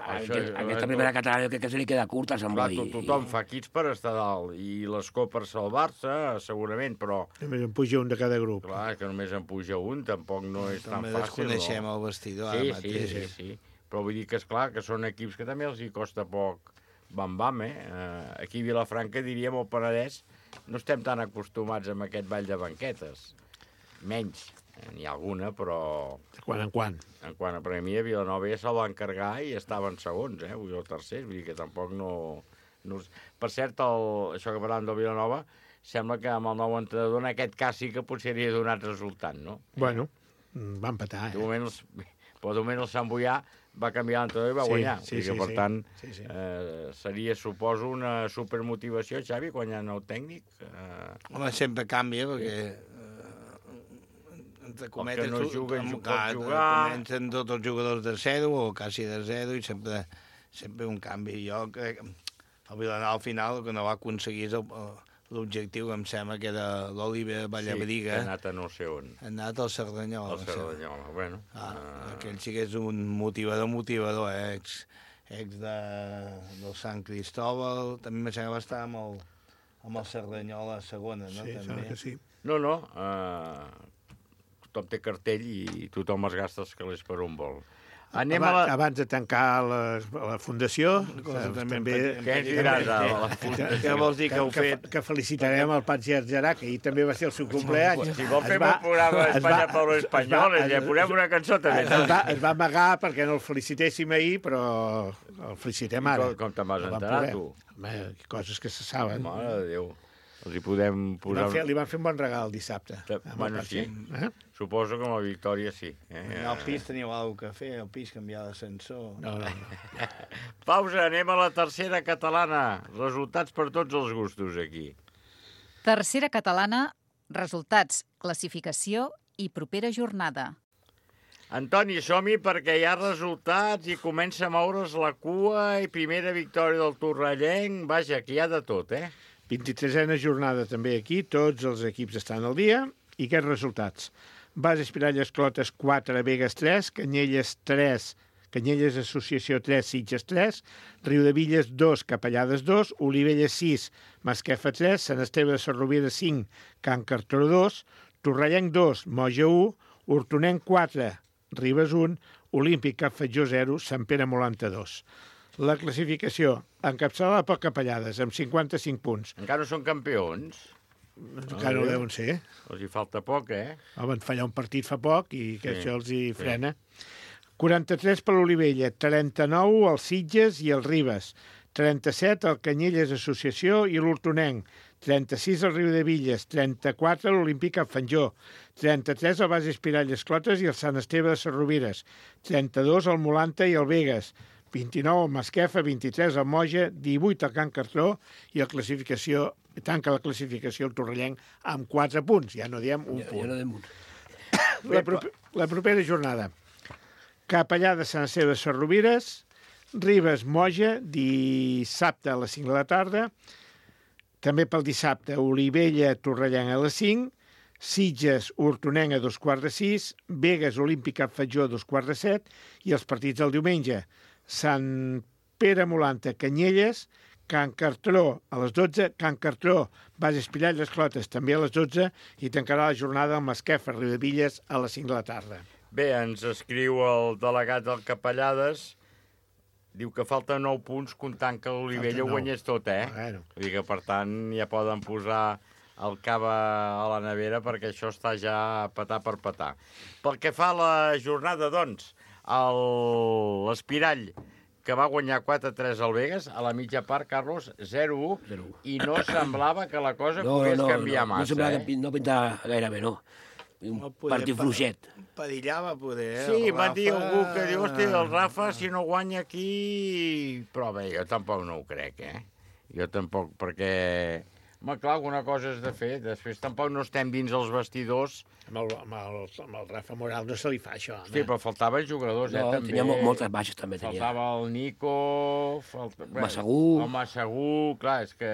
Aquesta primera catalana crec que se li queda curta al Sant Boi. Tothom fa quits per estar dalt, i l'Escó per salvar-se, segurament, però... Només en puja un de cada grup. Clar, que només en puja un, tampoc no és tan fàcil. També desconeixem el vestidor ara mateix. Sí. Però vull dir que, esclar, que són equips que també els hi costa poc bam-bam, Aquí a Vilafranca, diríem, al Penedès, no estem tan acostumats amb aquest ball de banquetes. Menys. N'hi ha alguna, però... De quan en quan. Per a mi a Vilanova ja se'l va encarregar i estaven segons, vull dir, el tercer, vull dir que tampoc no... Per cert, això que parlàvem del Vilanova, sembla que amb el nou entrenador en aquest cas sí que potser hauria donat resultat, no? Bueno, va empatar, De moment el Sant Boià va canviar l'entrenador i va guanyar. Per tant, seria, suposo, una supermotivació, Xavi, quan hi ha nou tècnic. Home, sempre canvia, perquè Els que no juguen, pot jugar... Comencen tots els jugadors de 0 o quasi de 0 i sempre un canvi. Jo crec que el Vilanova al final el que no va aconseguir és l'objectiu que em sembla que era l'Oliver Vallabriga. Sí, ha anat a no sé on. Ha anat al Cerdanyola. Al Cerdanyola, bueno. Aquell sí que és un motivador, ex del Sant Cristóbal. També em sembla que va estar amb el Cerdanyola a segona, no? Sí, sembla que sí. No, tothom té cartell i tothom es gasta els calés per on vol. Abans de tancar la fundació, també... Què ens diràs a la fundació? Què vols dir que heu fet? Que felicitarem el Patxi Argerà, que ahir també va ser el seu compleany. Si vol fer un programa d'Espanya per l'Espanyol, ja posem una cançó també. Es va amagar perquè no el felicitéssim ahir, però el felicitem ara. Com te'n vas enterar, tu? Coses que se saben. Mare de Déu. Els hi podem posar... Li van fer un bon regal dissabte. Bueno, sí. Suposo que amb la victòria sí. Al pis teniu alguna cosa a fer, al pis canviar d'ascensor... No. Pausa, anem a la tercera catalana. Resultats per tots els gustos, aquí. Tercera catalana, resultats, classificació i propera jornada. Antoni, som-hi perquè hi ha resultats i comença a moure's la cua i primera victòria del Torrellenc. Vaja, que hi ha de tot, 23a jornada també aquí, tots els equips estan al dia. I aquests resultats? Bas Espiralles Clotes 4, Begues 3, Canyelles 3, Canyelles Associació 3, Sitges 3, Riudevilles 2, Capellades 2, Olivella 6, Masquefa 3, Sant Esteve de Sarrovira 5, Can Cartró 2, Torrellenc 2, Moja 1, Hortonenc 4, Ribes 1, Olímpic Cap Fatjó 0, Sant Pere Molanta 2. La classificació, encapçalada per Capellades, amb 55 punts. Encara no són campions? Encara no deuen ser. Els hi falta poc, Van fallar un partit fa poc i que això els hi frena. 43 per l'Olivella, 39 els Sitges i els Ribes, 37 el Canyelles Associació i l'Hortonenc, 36 el Riudevilles, 34 l'Olímpic Cap Fatjó, 33 el Bas Espiralles Clotes i el Sant Esteve de Sarrovires, 32 el Molanta i el Begues, 29 el Masquefa, 23 el Moja, 18 el Can Cartró i tanca la classificació el Torrellenc amb 4 punts. Ja no diem un punt. Ja no diem un. La propera jornada. Capellà de Sant Esteve de Sarrovires, Ribes Moja, dissabte a les 5 de la tarda, també pel dissabte Olivella Torrellenc a les 5, Sitges Hortonenc a 2:15, Begues Olímpic Cap Fatjó a 2:15 i els partits del diumenge. Sant Pere Molanta, Canyelles, Can Cartró a les 12, Can Cartró, Bas Espiralles Clotes també a les 12 i tancarà la jornada al Masquefa, Riudevilles a les 5 de la tarda. Bé, ens escriu el delegat del Capellades, diu que falta 9 punts comptant que l'Olivella ho guanyés tot, Bueno. Vull dir que, per tant, ja poden posar el cava a la nevera perquè això està ja petar per petar. Pel que fa a la jornada, doncs, l'Espirall, que va guanyar 4-3 al Begues, a la mitja part, Carlos, 0-1, i no semblava que la cosa pogués canviar massa. No semblava que no pintava gaire bé, no. Un partit fluixet. Pedillava, poder, Sí, va dir algú que diu, hosti, el Rafa, si no guanya aquí... Però bé, jo tampoc no ho crec, Jo tampoc, perquè... Home, clar, alguna cosa has de fer. Després tampoc no estem dins els vestidors. Amb el Rafa Moral no se li fa això, home. Sí, però faltaven jugadors, també. Tenia moltes baixes, també. Faltava el Nico... Massagú. El Massagú, clar, és que...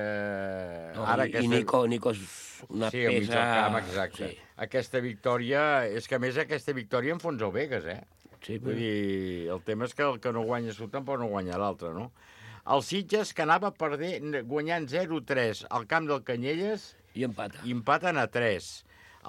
I Nico és una peça... Sí, al camp, exacte. Sí. Aquesta victòria... És que, a més, aquesta victòria enfonsa el Begues, Sí, Vull dir, el tema és que el que no guanya tu tampoc no guanya l'altre, no? El Sitges, que anava guanyant 0-3 al camp del Canyelles... I empata. I empaten a 3.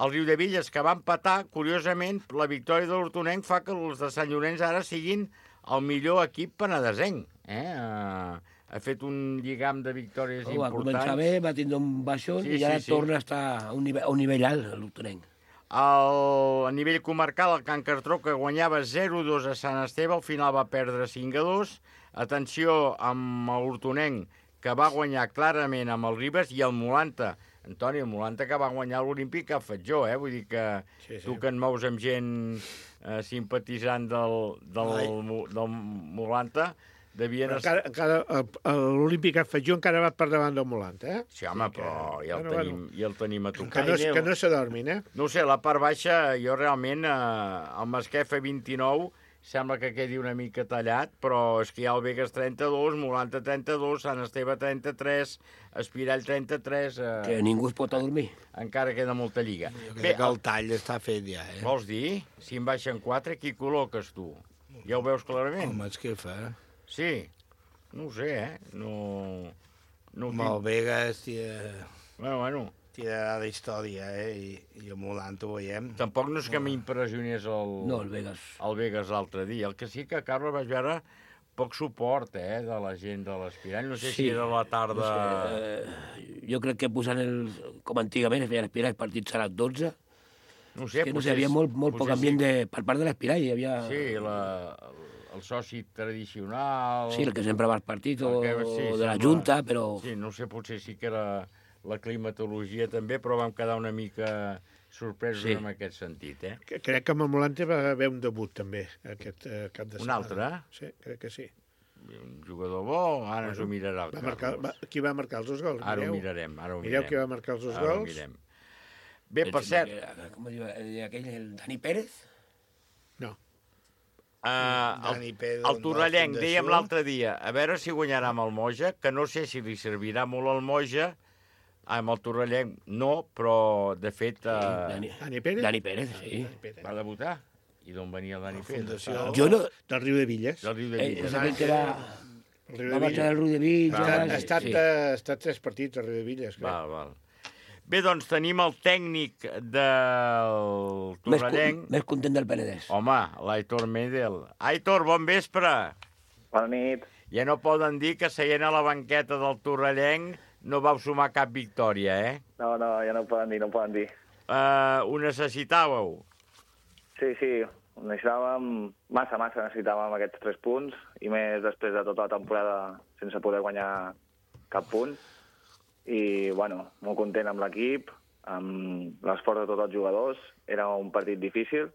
El Riudevilles, que va empatar, curiosament, la victòria de l'Hortonenc fa que els de Sant Llorenç ara siguin el millor equip penedesenc. Ha fet un lligam de victòries importants. Va començar bé, va tindre un baixón i ara torna a estar a un nivell alt, l'Hortonenc. A nivell comarcal, el Can Cartró, que guanyava 0-2 a Sant Esteve, al final va perdre 5-2. Atenció amb l'Hortonenc, que va guanyar clarament amb el Ribes, i el Molanta, Antoni, el Molanta, que va guanyar l'Olímpic Cap Fatjó, Vull dir que tu que et mous amb gent simpatitzant del Molanta, devien... L'Olímpic Afegió encara va per davant del Molant, eh? Sí, home, però ja el tenim a tocar. Que no s'adormin, eh? No ho sé, la part baixa, jo realment, el Masquefa 29, sembla que quedi una mica tallat, però és que hi ha el Begues 32, Molant 32, Sant Esteve 33, Espirall 33... Que ningú es pot adormir. Encara queda molta lliga. Jo crec que el tall està fet ja, eh? Vols dir? Si en baixen 4, qui col·loques tu? Ja ho veus clarament? El Masquefa, Sí, no ho sé, No amb el Begues Bueno. Tirarà de història, i el Molant ho veiem. Tampoc no és que m'impressionés el Begues l'altre dia. El que sí que, Carles, vaig veure poc suport, de la gent de l'Espirall. No sé si era la tarda... Jo crec que posant com antigament es feien Espirall, partits serà 12. No sé, hi havia molt poc ambient per part de l'Espirall. Hi havia... Sí, el soci tradicional... Sí, el que sempre va als partits, o de la Junta, però... Sí, no sé, potser sí que era la climatologia també, però vam quedar una mica sorpresos en aquest sentit, Crec que amb el Molante va haver un debut, també, aquest cap de setmana. Un altre? Sí, crec que sí. Un jugador bo, ara ens ho mirarà el Carles. Qui va marcar els 2 gols? Ara ho mirarem. Mireu qui va marcar els 2 gols. Bé, per cert... Com diu aquell, el Dani Pérez? No. El Torrellenc, dèiem l'altre dia, a veure si guanyarà amb el Moja, que no sé si li servirà molt al Moja, amb el Torrellenc no, però de fet... Dani Pérez? Dani Pérez, sí. Va debutar? I d'on venia el Dani Pérez? Jo no... Del Riu de Villes. Del Riu de Villes. És aquell que va marxar del Riu de Villes. Ha estat 3 partits al Riu de Villes. Val. Bé, doncs tenim el tècnic del Torrellenc. Més content del Penedès. Home, l'Aitor Medel. Aitor, bon vespre. Bona nit. Ja no poden dir que seient a la banqueta del Torrellenc no vau sumar cap victòria, No, ja no ho poden dir, Ho necessitàveu? Sí, necessitàvem massa necessitàvem aquests 3 punts, i més després de tota la temporada sense poder guanyar cap punt. I, molt content amb l'equip, amb l'esforç de tots els jugadors. Era un partit difícil,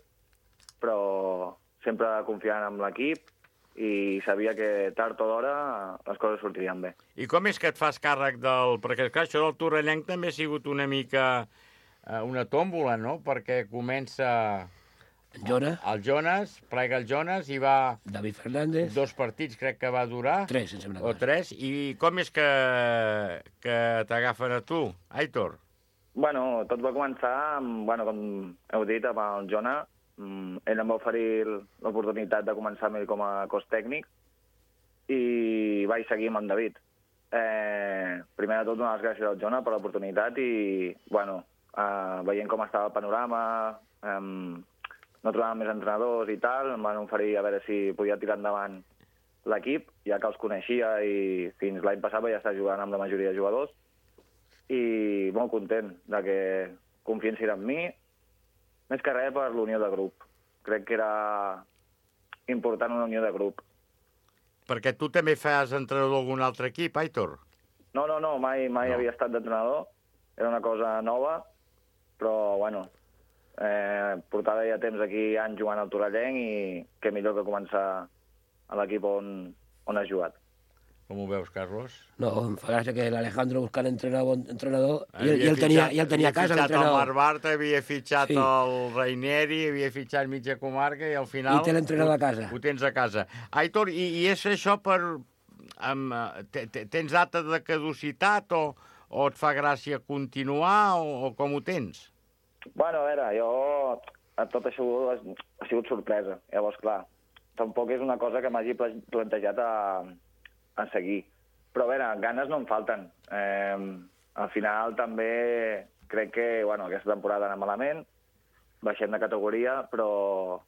però sempre confiant en l'equip, i sabia que tard o d'hora les coses sortirien bé. I com és que et fas càrrec del... Perquè, clar, això del Torrellenc també ha sigut una mica una tòmbola, no? Perquè comença... El Jonas, plega el Jonas, i va... David Fernández. 2 partits, crec que va durar. 3, em sembla. O 3. I com és que t'agafen a tu, Aitor? Tot va començar amb, com heu dit, amb el Jonas. Ell em va oferir l'oportunitat de començar amb ell com a cos tècnic, i vaig seguir amb en David. Primer de tot, donar les gràcies al Jonas per l'oportunitat, i, veient com estava el panorama, no trobàvem més entrenadors i tal, em van oferir a veure si podia tirar endavant l'equip, ja que els coneixia, i fins l'any passat vaig estar jugant amb la majoria de jugadors, i molt content de que confiessin en mi, més que res per l'unió de grup. Crec que era important una unió de grup. Perquè tu també fas entrenador d'algun altre equip, Aitor? No, mai havia estat d'entrenador. Era una cosa nova, però, portava ja temps aquí anys jugant al Torrellenc, i què millor que començar a l'equip on has jugat. Com ho veus, Carlos? No, em fa gràcia que l'Alejandro buscant entrenador i el tenia a casa, l'entrenador. Havia fitxat el Marc Bartra, havia fitxat el Raineri, havia fitxat mitja comarca, i al final... I té l'entrenador a casa. Ho tens a casa. Aitor, i és això per... Tens data de caducitat, o et fa gràcia continuar, o com ho tens? A veure, tot això ha sigut sorpresa. Llavors, clar, tampoc és una cosa que m'hagi plantejat a seguir. Però, a veure, ganes no em falten. Al final també crec que, aquesta temporada anà malament, baixem de categoria, però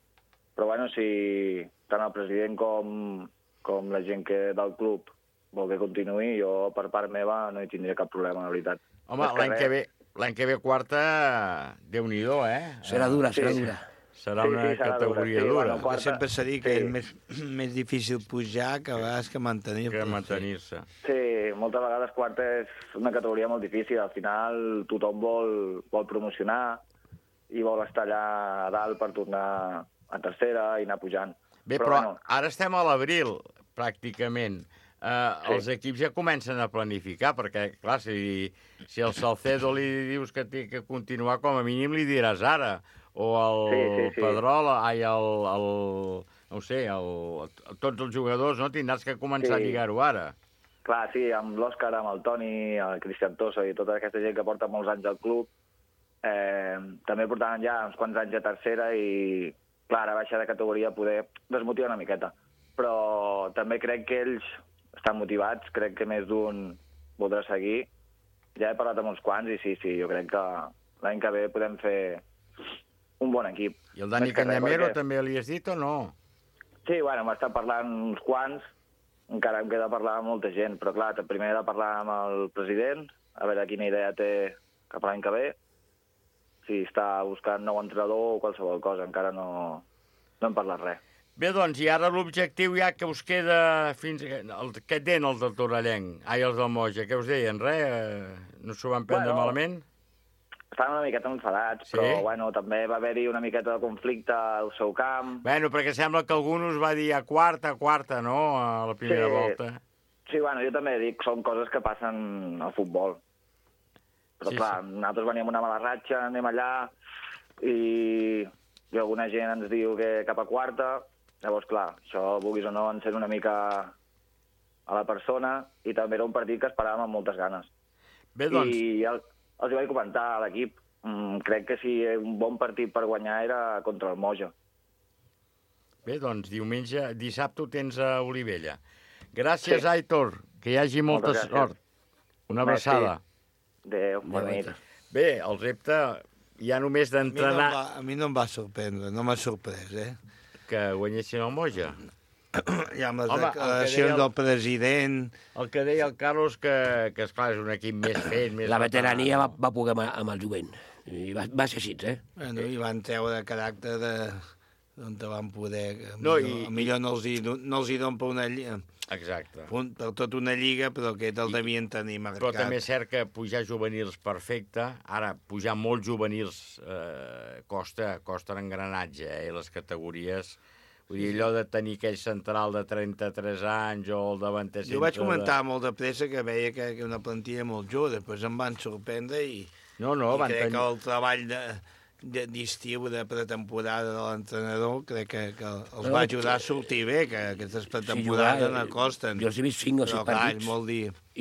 si tant el president com la gent del club vol que continuï, jo per part meva no hi tindria cap problema, la veritat. Home, l'any que ve quarta, Déu-n'hi-do, Serà dura. Serà una categoria dura. Sempre s'ha dit que és més difícil pujar que a vegades que mantenir-se. Sí, moltes vegades quarta és una categoria molt difícil. Al final tothom vol promocionar i vol estar allà a dalt per tornar a tercera i anar pujant. Bé, però ara estem a l'abril. pràcticament, els equips ja comencen a planificar, perquè, clar, si el Salcedo li dius que té que continuar, com a mínim li diràs ara, o el Pedrola, no sé, tots els jugadors, no? Tindràs que començar a lligar-ho ara. Clar, sí, amb l'Òscar, amb el Toni, el Cristian Tosso i tota aquesta gent que porta molts anys al club, també portaven ja uns quants anys a tercera i, clar, a baixar de categoria poder desmotivar una miqueta. Però també crec que ells estan motivats, crec que més d'un voldrà seguir. Ja he parlat amb uns quants i sí, jo crec que l'any que ve podem fer un bon equip. I el Dani Cañamero també li has dit o no? Sí, bueno, m'està parlant uns quants, encara em queda parlar amb molta gent, però clar, primer he de parlar amb el president, a veure quina idea té cap a l'any que ve, si està buscant nou entrenador o qualsevol cosa, encara no hem parlat res. Bé, doncs, i ara l'objectiu ja que us queda fins... Què et deien els del Torrellenc? Els del Moja, què us deien? Res? No s'ho van prendre malament? Estaven una miqueta enfadats, però bueno, també va haver-hi una miqueta de conflicte al seu camp. Bueno, perquè sembla que algú us va dir a quarta, no?, a la primera volta. Sí, bueno, jo també dic, són coses que passen al futbol. Però clar, nosaltres veníem una mala ratxa, anem allà, i alguna gent ens diu que cap a quarta. Llavors, clar, això, vulguis o no, encén una mica a la persona, i també era un partit que esperàvem amb moltes ganes. Bé, doncs... I els hi vaig comentar a l'equip. Crec que si un bon partit per guanyar era contra el Moja. Bé, doncs, dissabte ho tens a Olivella. Gràcies, Aitor, que hi hagi molta sort. Una abraçada. Adéu, bona nit. Bé, el repte ja només d'entrenar... A mi no em va sorprendre, no m'ha sorprès, que guanyessin el Moja. I amb les declaracions del president... El que deia el Carlos, que esclar, és un equip més fet... La veterania va poder amb el jovent. I va ser així, Bueno, i van treure caràcter d'on van poder... Millor no els hi donen per una lliga. Exacte. Per tota una lliga, però que el devien tenir marcat. Però també és cert que pujar juvenils perfecte, ara pujar molts juvenils costa l'engranatge, i les categories... Vull dir, allò de tenir aquell central de 33 anys o el davanter... Jo vaig comentar molt de pressa que veia que una plantilla molt jove, després em van sorprendre i crec que el treball d'estiu, de pretemporada de l'entrenador, crec que els va ajudar a sortir bé, que aquestes pretemporades no costen. Jo he vist 5 o 6 partits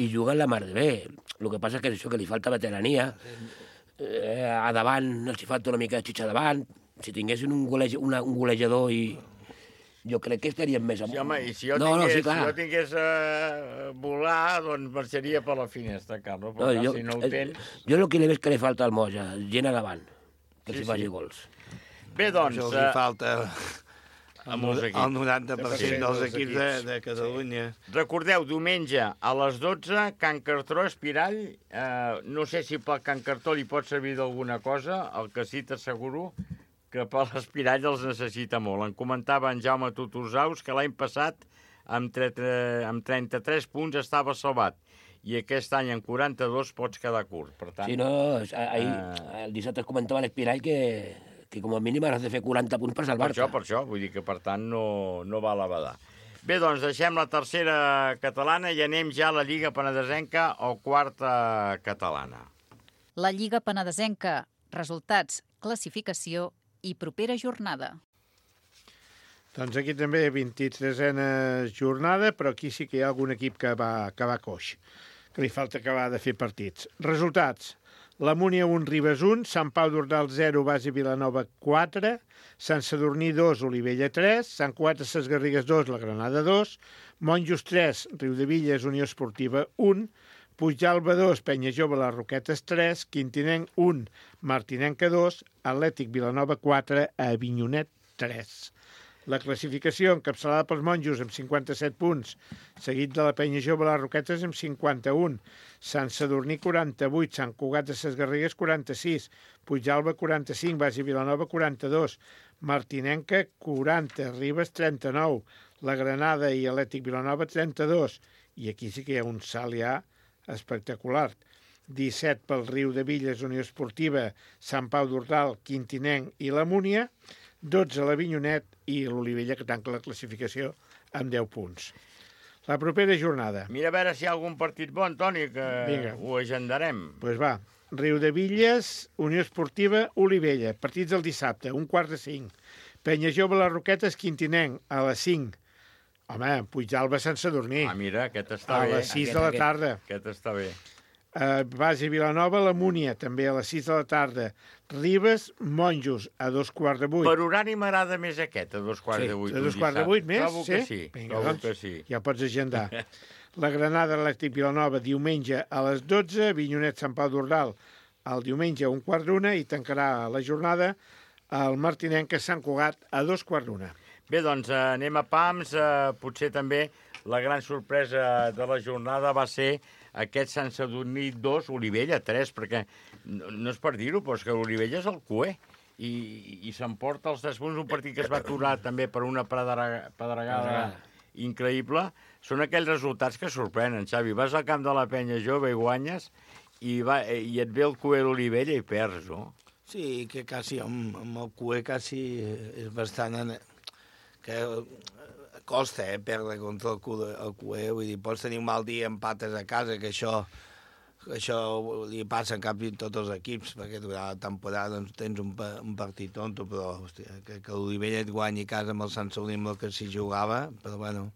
i juguen la mar de bé. El que passa és que això, que li falta veterania, a davant els hi falta una mica de xitxa davant, si tinguessin un golejador i... Jo crec que estaríem més amunt. Sí, home, i si jo tingués volar, doncs marxaria per la finestra, Carlos, però si no ho tens... Jo el que li veig que li falta al Moja, gent a davant, que s'hi faci gols. Bé, doncs... Això els hi falta el 90% dels equips de Catalunya. Recordeu, diumenge a les 12, Can Cartró, Espirall. No sé si pel Can Cartró li pot servir d'alguna cosa, el que sí t'asseguro que per l'Espirall els necessita molt. En comentava en Jaume Tuturzaus que l'any passat amb 33 punts estava salvat i aquest any en 42 pots quedar curt. Per tant, sí, no, el dissabte es comentava a l'Espirall que com a mínim has de fer 40 punts per salvar-te. Per això, vull dir que per tant no va a la badar. Bé, doncs deixem la tercera catalana i anem ja a la Lliga Penedesenca o quarta catalana. La Lliga Penedesenca, resultats, classificació i propera jornada. Doncs aquí també 23a jornada, però aquí sí que hi ha algun equip que va coix, que li falta acabar de fer partits. Resultats: la Múnia 1, Ribes 1, Sant Pau d'Ordal 0, Basi Vilanova 4, Sant Sadurní 2, Olivella 3, Sant Cugat de Ses Garrigues 2, la Granada 2, Monjos 3, Riudevilles, Unió Esportiva 1, Puigdàlber 2, Penya Jove, les Roquetes 3, Quintinenc 1, Martinenca 2, Atlètic Vilanova 4, Avinyonet 3. La classificació encapçalada pels monjos amb 57 punts, seguit de la Penya Jove, les Roquetes amb 51, Sant Sadurní 48, Sant Cugat de Ses Garrigues 46, Puigdàlber 45, Basi Vilanova 42, Martinenca 40, Ribes 39, la Granada i Atlètic Vilanova 32, i aquí sí que hi ha un salt ja espectacular. 17 pel Riudevilles, Unió Esportiva, Sant Pau d'Ordal, Quintinenc i la Múnia, 12 l'Avinyonet i l'Olivella, que tanca la classificació amb 10 punts. La propera jornada. Mira a veure si hi ha algun partit bo, Antoni, que ho agendarem. Doncs va. Riudevilles, Unió Esportiva, Olivella. Partits del dissabte, 4:45. Penya Jove, les Roquetes, Quintinenc, a les 5. Home, Puigdalba sense dormir. Mira, aquest està bé. A les 6 de la tarda. Aquest està bé. Base Vilanova, la Múnia, també a les 6 de la tarda. Ribes, Monjos, a 7:15. Per horari m'agrada més aquest, a 7:15. A 7:15 més? Trobo que sí. Vinga, Trobo que sí. Ja pots agendar. La Granada, Atlètic Vilanova, diumenge a les 12. Vinyonet, Sant Pau d'Ordal, el diumenge a 1:15. I tancarà la jornada el Martinenc a Sant Cugat a 2:15. Bé, doncs anem a pams. Potser també la gran sorpresa de la jornada va ser aquest Sant Sadurní 2, Olivella 3, perquè no és per dir-ho, però és que Olivella és el cué i s'emporta els 3 punts, un partit que es va aturar també per una pedregada increïble. Són aquells resultats que sorprenen, Xavi. Vas al camp de la Penya Jove i guanyes i et ve el cué d'Olivella i perds, no? Sí, que quasi amb el cué quasi és bastant... que costa, perdre contra el cué. Vull dir, pots tenir un mal dia, empates a casa, que això li passa en cap de tots els equips, perquè durant la temporada doncs, tens un partit tonto, però hòstia, que l'Olivella et guanyi a casa amb el Sant Sadurní amb el que s'hi jugava, però bueno,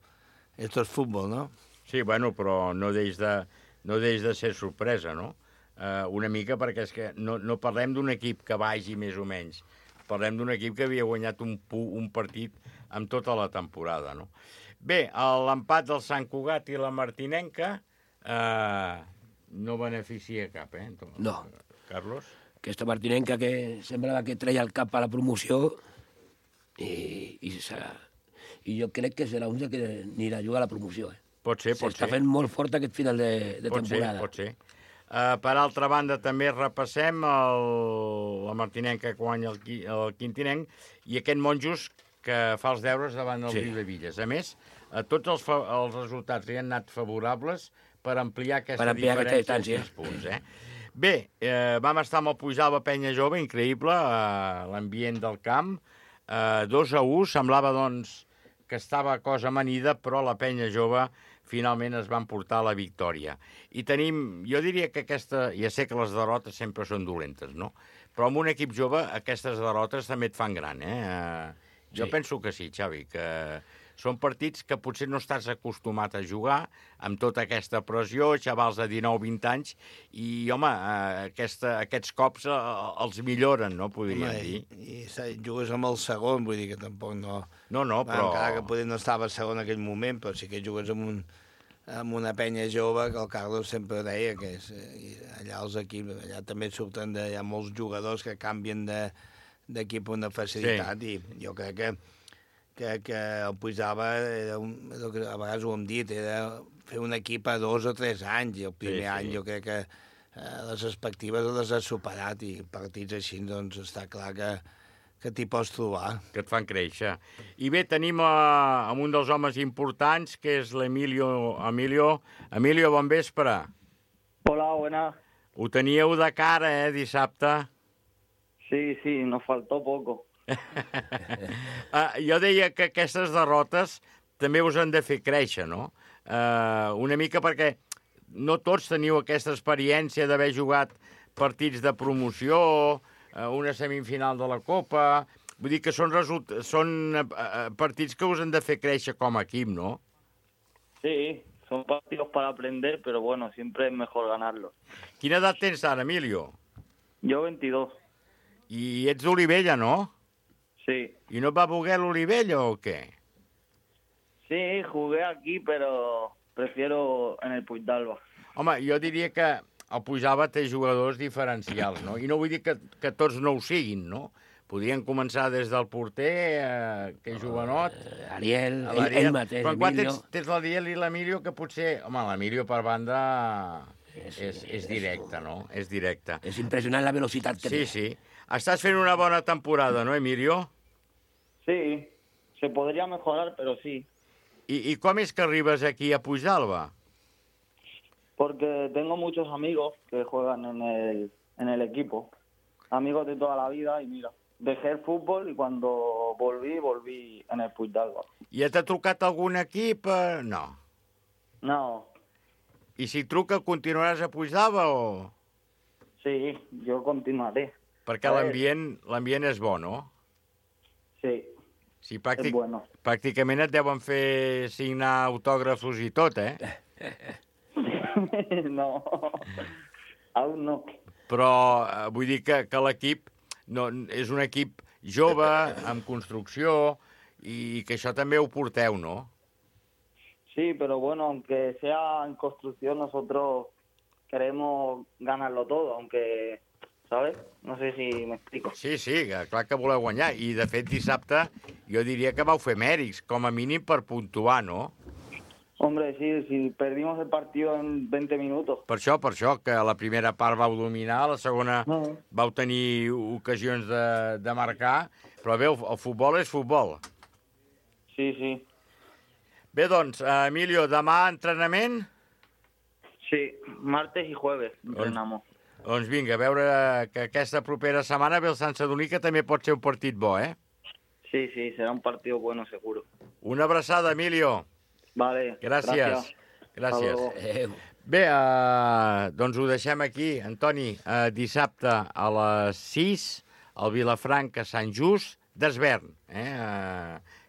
esto és futbol, no? Sí, bueno, però no deix de ser sorpresa, no? Una mica perquè és que no parlem d'un equip que vagi més o menys, parlem d'un equip que havia guanyat un partit amb tota la temporada, no? Bé, l'empat del Sant Cugat i la Martinenca no beneficia cap, No. Carlos? Aquesta Martinenca que semblava que treia el cap a la promoció i jo crec que serà un que anirà a jugar a la promoció. Pot ser. S'està fent molt fort aquest final de temporada. Pot ser. Per altra banda, també repassem la Martinenca que guanya el Quintinenc i aquest Monjos que fa els deures davant del Riudevilles. A més, tots els resultats li han anat favorables per ampliar aquesta diferència de 6 punts. Bé, vam estar amb el Puigdalba Penya Jove, increïble, l'ambient del camp. 2-1, semblava doncs que estava cosa amanida, però la Penya Jove finalment es van portar la victòria. I tenim, jo diria que ja sé que les derrotes sempre són dolentes, no? Però amb un equip jove aquestes derrotes també et fan gran, Jo penso que sí, Xavi, que són partits que potser no estàs acostumat a jugar amb tota aquesta pressió, xavals de 19-20 anys, i, home, aquests cops els milloren, no, podríem dir. I jugues amb el segon, vull dir que tampoc no... No, però... Encara que potser no estava segon en aquell moment, però sí que jugues amb una penya jove, que el Carlos sempre deia que allà els equips, allà també surten hi ha molts jugadors que canvien d'equip amb una facilitat, i jo crec que el Puigdalba, a vegades ho hem dit, era fer un equip a 2 o 3 anys, i el primer any jo crec que les expectatives les has superat, i partits així doncs està clar que t'hi pots trobar. Que et fan créixer. I bé, tenim un dels homes importants, que és l'Emilio. Emilio, bon vespre. Hola, buenas. Ho teníeu de cara, dissabte? Sí, nos faltó poco. Jo deia que aquestes derrotes també us han de fer créixer, no? Una mica perquè no tots teniu aquesta experiència d'haver jugat partits de promoció, una semifinal de la Copa... Vull dir que són partits que us han de fer créixer com a equip, no? Sí, son partidos para aprender, pero bueno, siempre es mejor ganarlos. Quina edat tens ara, Emilio? Yo 22. I ets d'Olivella, no? Sí. I no et va voler l'Olivella o què? Sí, jugué aquí, pero prefiero en el Puigdalba. Home, jo diria que el Puigdalba té jugadors diferencials, no? I no vull dir que tots no ho siguin, no? Podrien començar des del porter, que és jovenot. Ariel, ell mateix, però quan Emilio. tens l'Ariel i l'Emilio, que potser... Home, l'Emilio per banda és directe, no? És directe. És impressionant la velocitat que té. Sí. Estàs fent una bona temporada, ¿no, Emilio? Sí, se podría mejorar, pero sí. ¿Y cómo es que arribas aquí a Puigdalba? Porque tengo muchos amigos que juegan en el equipo. Amigos de toda la vida, y mira, dejé el fútbol y cuando volví en el Puigdalba. I t'ha trucat algun equip? No. No. I si truca, continuaràs a Puigdava o...? Sí, jo continuaré. Perquè l'ambient és bo, no? Sí, sí és bueno. Pràcticament et deuen fer signar autògrafos i tot, eh? No, aún no. Però vull dir que l'equip és un equip jove, amb construcció, i que això també ho porteu, no? Sí, pero bueno, aunque sea en construcción, nosotros queremos ganarlo todo, aunque, ¿sabes? No sé si me explico. Sí, clar que voleu guanyar. I, de fet, dissabte jo diria que vau fer mèrits, com a mínim per puntuar, no? Hombre, sí, si perdimos el partido en 20 minutos. Per això, que la primera part vau dominar, la segona vau tenir ocasions de marcar, però bé, el futbol és futbol. Sí, sí. Bé, doncs, Emilio, demà entrenament? Sí, martes i jueves entrenamos. Doncs vinga, a veure que aquesta propera setmana ve el Sant Sadurní, que també pot ser un partit bo, eh? Sí, será un partido bueno, seguro. Una abraçada, Emilio. Vale, gràcies. Bé, doncs ho deixem aquí. Antoni, dissabte a les 6, al Vilafranca, Sant Just, d'Esvern,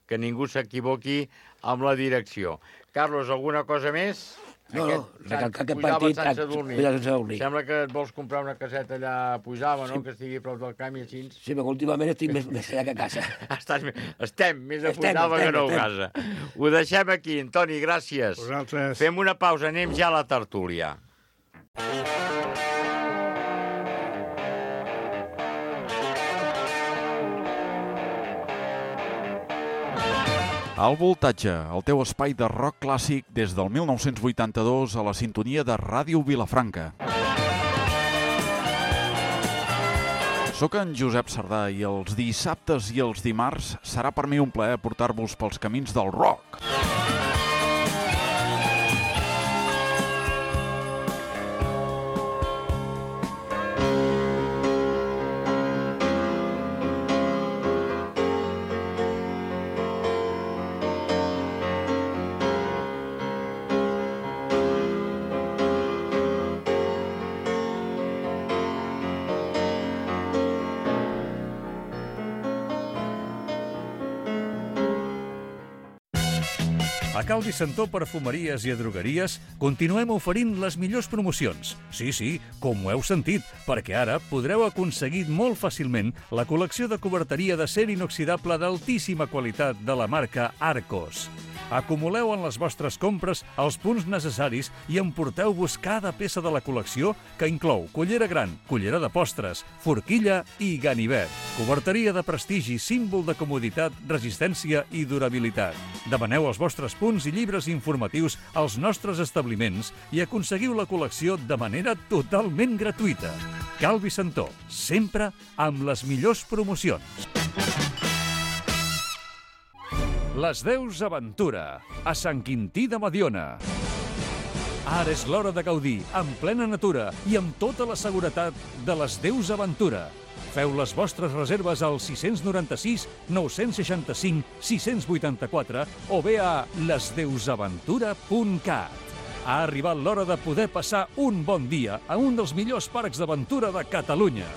que ningú s'equivoqui amb la direcció. Carlos, alguna cosa més? No, recalcar aquest partit... Sant Sadurní. Sembla que et vols comprar una caseta allà a Puigdava, no? Que estigui a prop del camp i així. Sí, perquè últimament estic més allà que a casa. Estem més a Puigdava que no a casa. Ho deixem aquí, Antoni, gràcies. Vosaltres. Fem una pausa, anem ja a la tertúlia. Al Voltatge, el teu espai de rock clàssic des del 1982 a la sintonia de Ràdio Vilafranca. Soc en Josep Sardà i els dissabtes i els dimarts serà per mi un plaer portar-vos pels camins del rock. A Cal Vicentó Perfumeries i Drogueries continuem oferint les millors promocions. Sí, com ho heu sentit, perquè ara podreu aconseguir molt fàcilment la col·lecció de coberteria d'acer inoxidable d'altíssima qualitat de la marca Arcos. Acumuleu en les vostres compres els punts necessaris i emporteu-vos cada peça de la col·lecció que inclou cullera gran, cullera de postres, forquilla i ganivet. Coberteria de prestigi, símbol de comoditat, resistència i durabilitat. Demaneu els vostres punts i llibres informatius als nostres establiments i aconseguiu la col·lecció de manera totalment gratuïta. Cal Vicentó, sempre amb les millors promocions. Les Deus Aventura, a Sant Quintí de Mediona. Ara és l'hora de gaudir, en plena natura i amb tota la seguretat de les Deus Aventura. Feu les vostres reserves al 696 965 684 o bé a lesdeusaventura.cat. Ha arribat l'hora de poder passar un bon dia a un dels millors parcs d'aventura de Catalunya.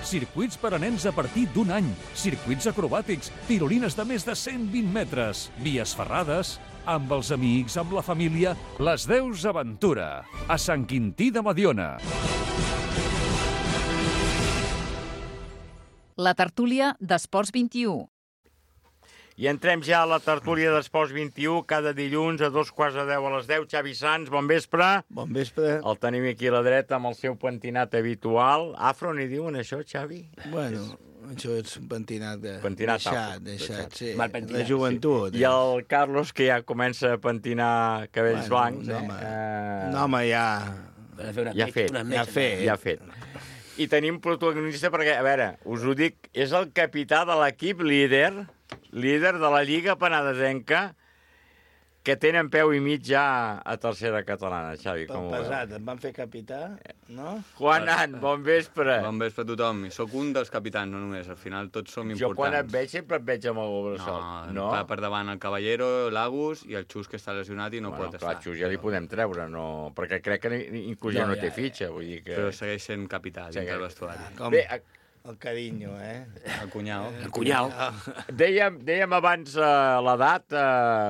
Circuits per a nens a partir d'un any, circuits acrobàtics, tirolines de més de 120 metres, vies ferrades, amb els amics, amb la família, les Deus Aventura, a Sant Quintí de Mediona. La tertúlia d'Esports 21. I entrem ja a la tertúlia d'Esports 21, cada dilluns a 2:15 a les 10. Xavi Sans, bon vespre. Bon vespre. El tenim aquí a la dreta amb el seu pentinat habitual. Afro, n'hi diuen això, Xavi? Bueno, això és un pentinat deixat, sí. De joventut. I el Carlos, que ja comença a pentinar cabells blancs. Un home ja fet. I tenim protagonista perquè, a veure, us ho dic, és el capità de l'equip líder de la Lliga Penedesenca, que tenen peu i mig ja a tercera catalana, Xavi, Per com ho veus? pesat, em van fer capità, no? Juanan, bon vespre. Bon vespre a tothom. I sóc un dels capitans, no només. Al final tots som importants. Jo quan et veig sempre et veig amb el braçot. No? Va per davant el Caballero, l'Agus i el Xus, que està lesionat i no pot estar. Clar, Xus ja li podem treure, no? Perquè crec que inclús ja no té fitxa. Vull dir que... Però segueix sent capità dins del vestuari. Bé, el carinyo, El cunyau. El cunyau. Dèiem abans l'edat,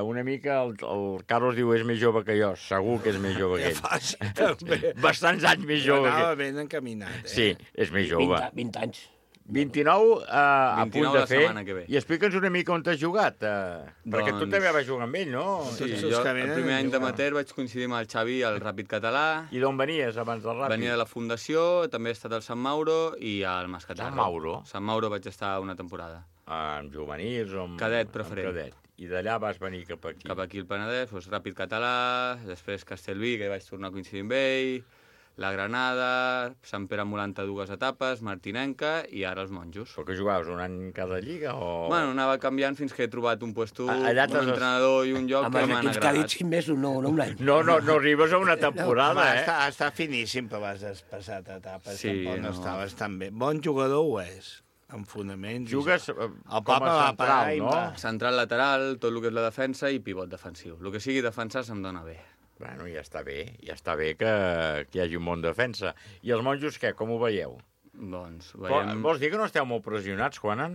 una mica, el Carlos diu és més jove que jo, segur que és més jove que ell. Fàcil, també. Bastants anys més jove que Anava ell. ben encaminat, Sí, és més jove. 20 anys. 29 a punt de la fer. setmana que ve. I explica'ns una mica on t'has jugat. Perquè tu també vas jugar amb ell, no? Sí, jo el primer any d'amateur vaig coincidir amb el Xavi al Ràpid Català. I d'on venies abans del Ràpid? Venia de la Fundació, també he estat al Sant Mauro i al Mascatarro. Sant Mauro? Sant Mauro vaig estar una temporada. Amb juvenils o amb... Cadet preferent. Amb cadet. I d'allà vas venir cap aquí. Cap aquí al Penedès, doncs Ràpid Català, després Castellví, que vaig tornar a coincidir amb ell, la Granada, Sant Pere Molant a 2 etapes, Martinenca i ara els Monjos. Però que jugaves un any en cada lliga o...? Bueno, anava canviant fins que he trobat un puesto, un Allà entrenador i un lloc que m'han Amb els equips que ha dit agradat. 5 mesos, no un any. No arribes a una temporada, Està finíssim, però has passat etapes. Sí, Tampoc no no. estaves tan bé. Bon jugador ho és, amb fonaments. Jugues el com Papa a va parar central, i no? va. Central lateral, tot el que és la defensa i pivot defensiu. El que sigui defensar se'm dona bé. Bueno, ja està bé que hi hagi un bon defensa. I els Monjos, què? Com ho veieu? Doncs veiem... Vols dir que no esteu molt pressionats, Juanan?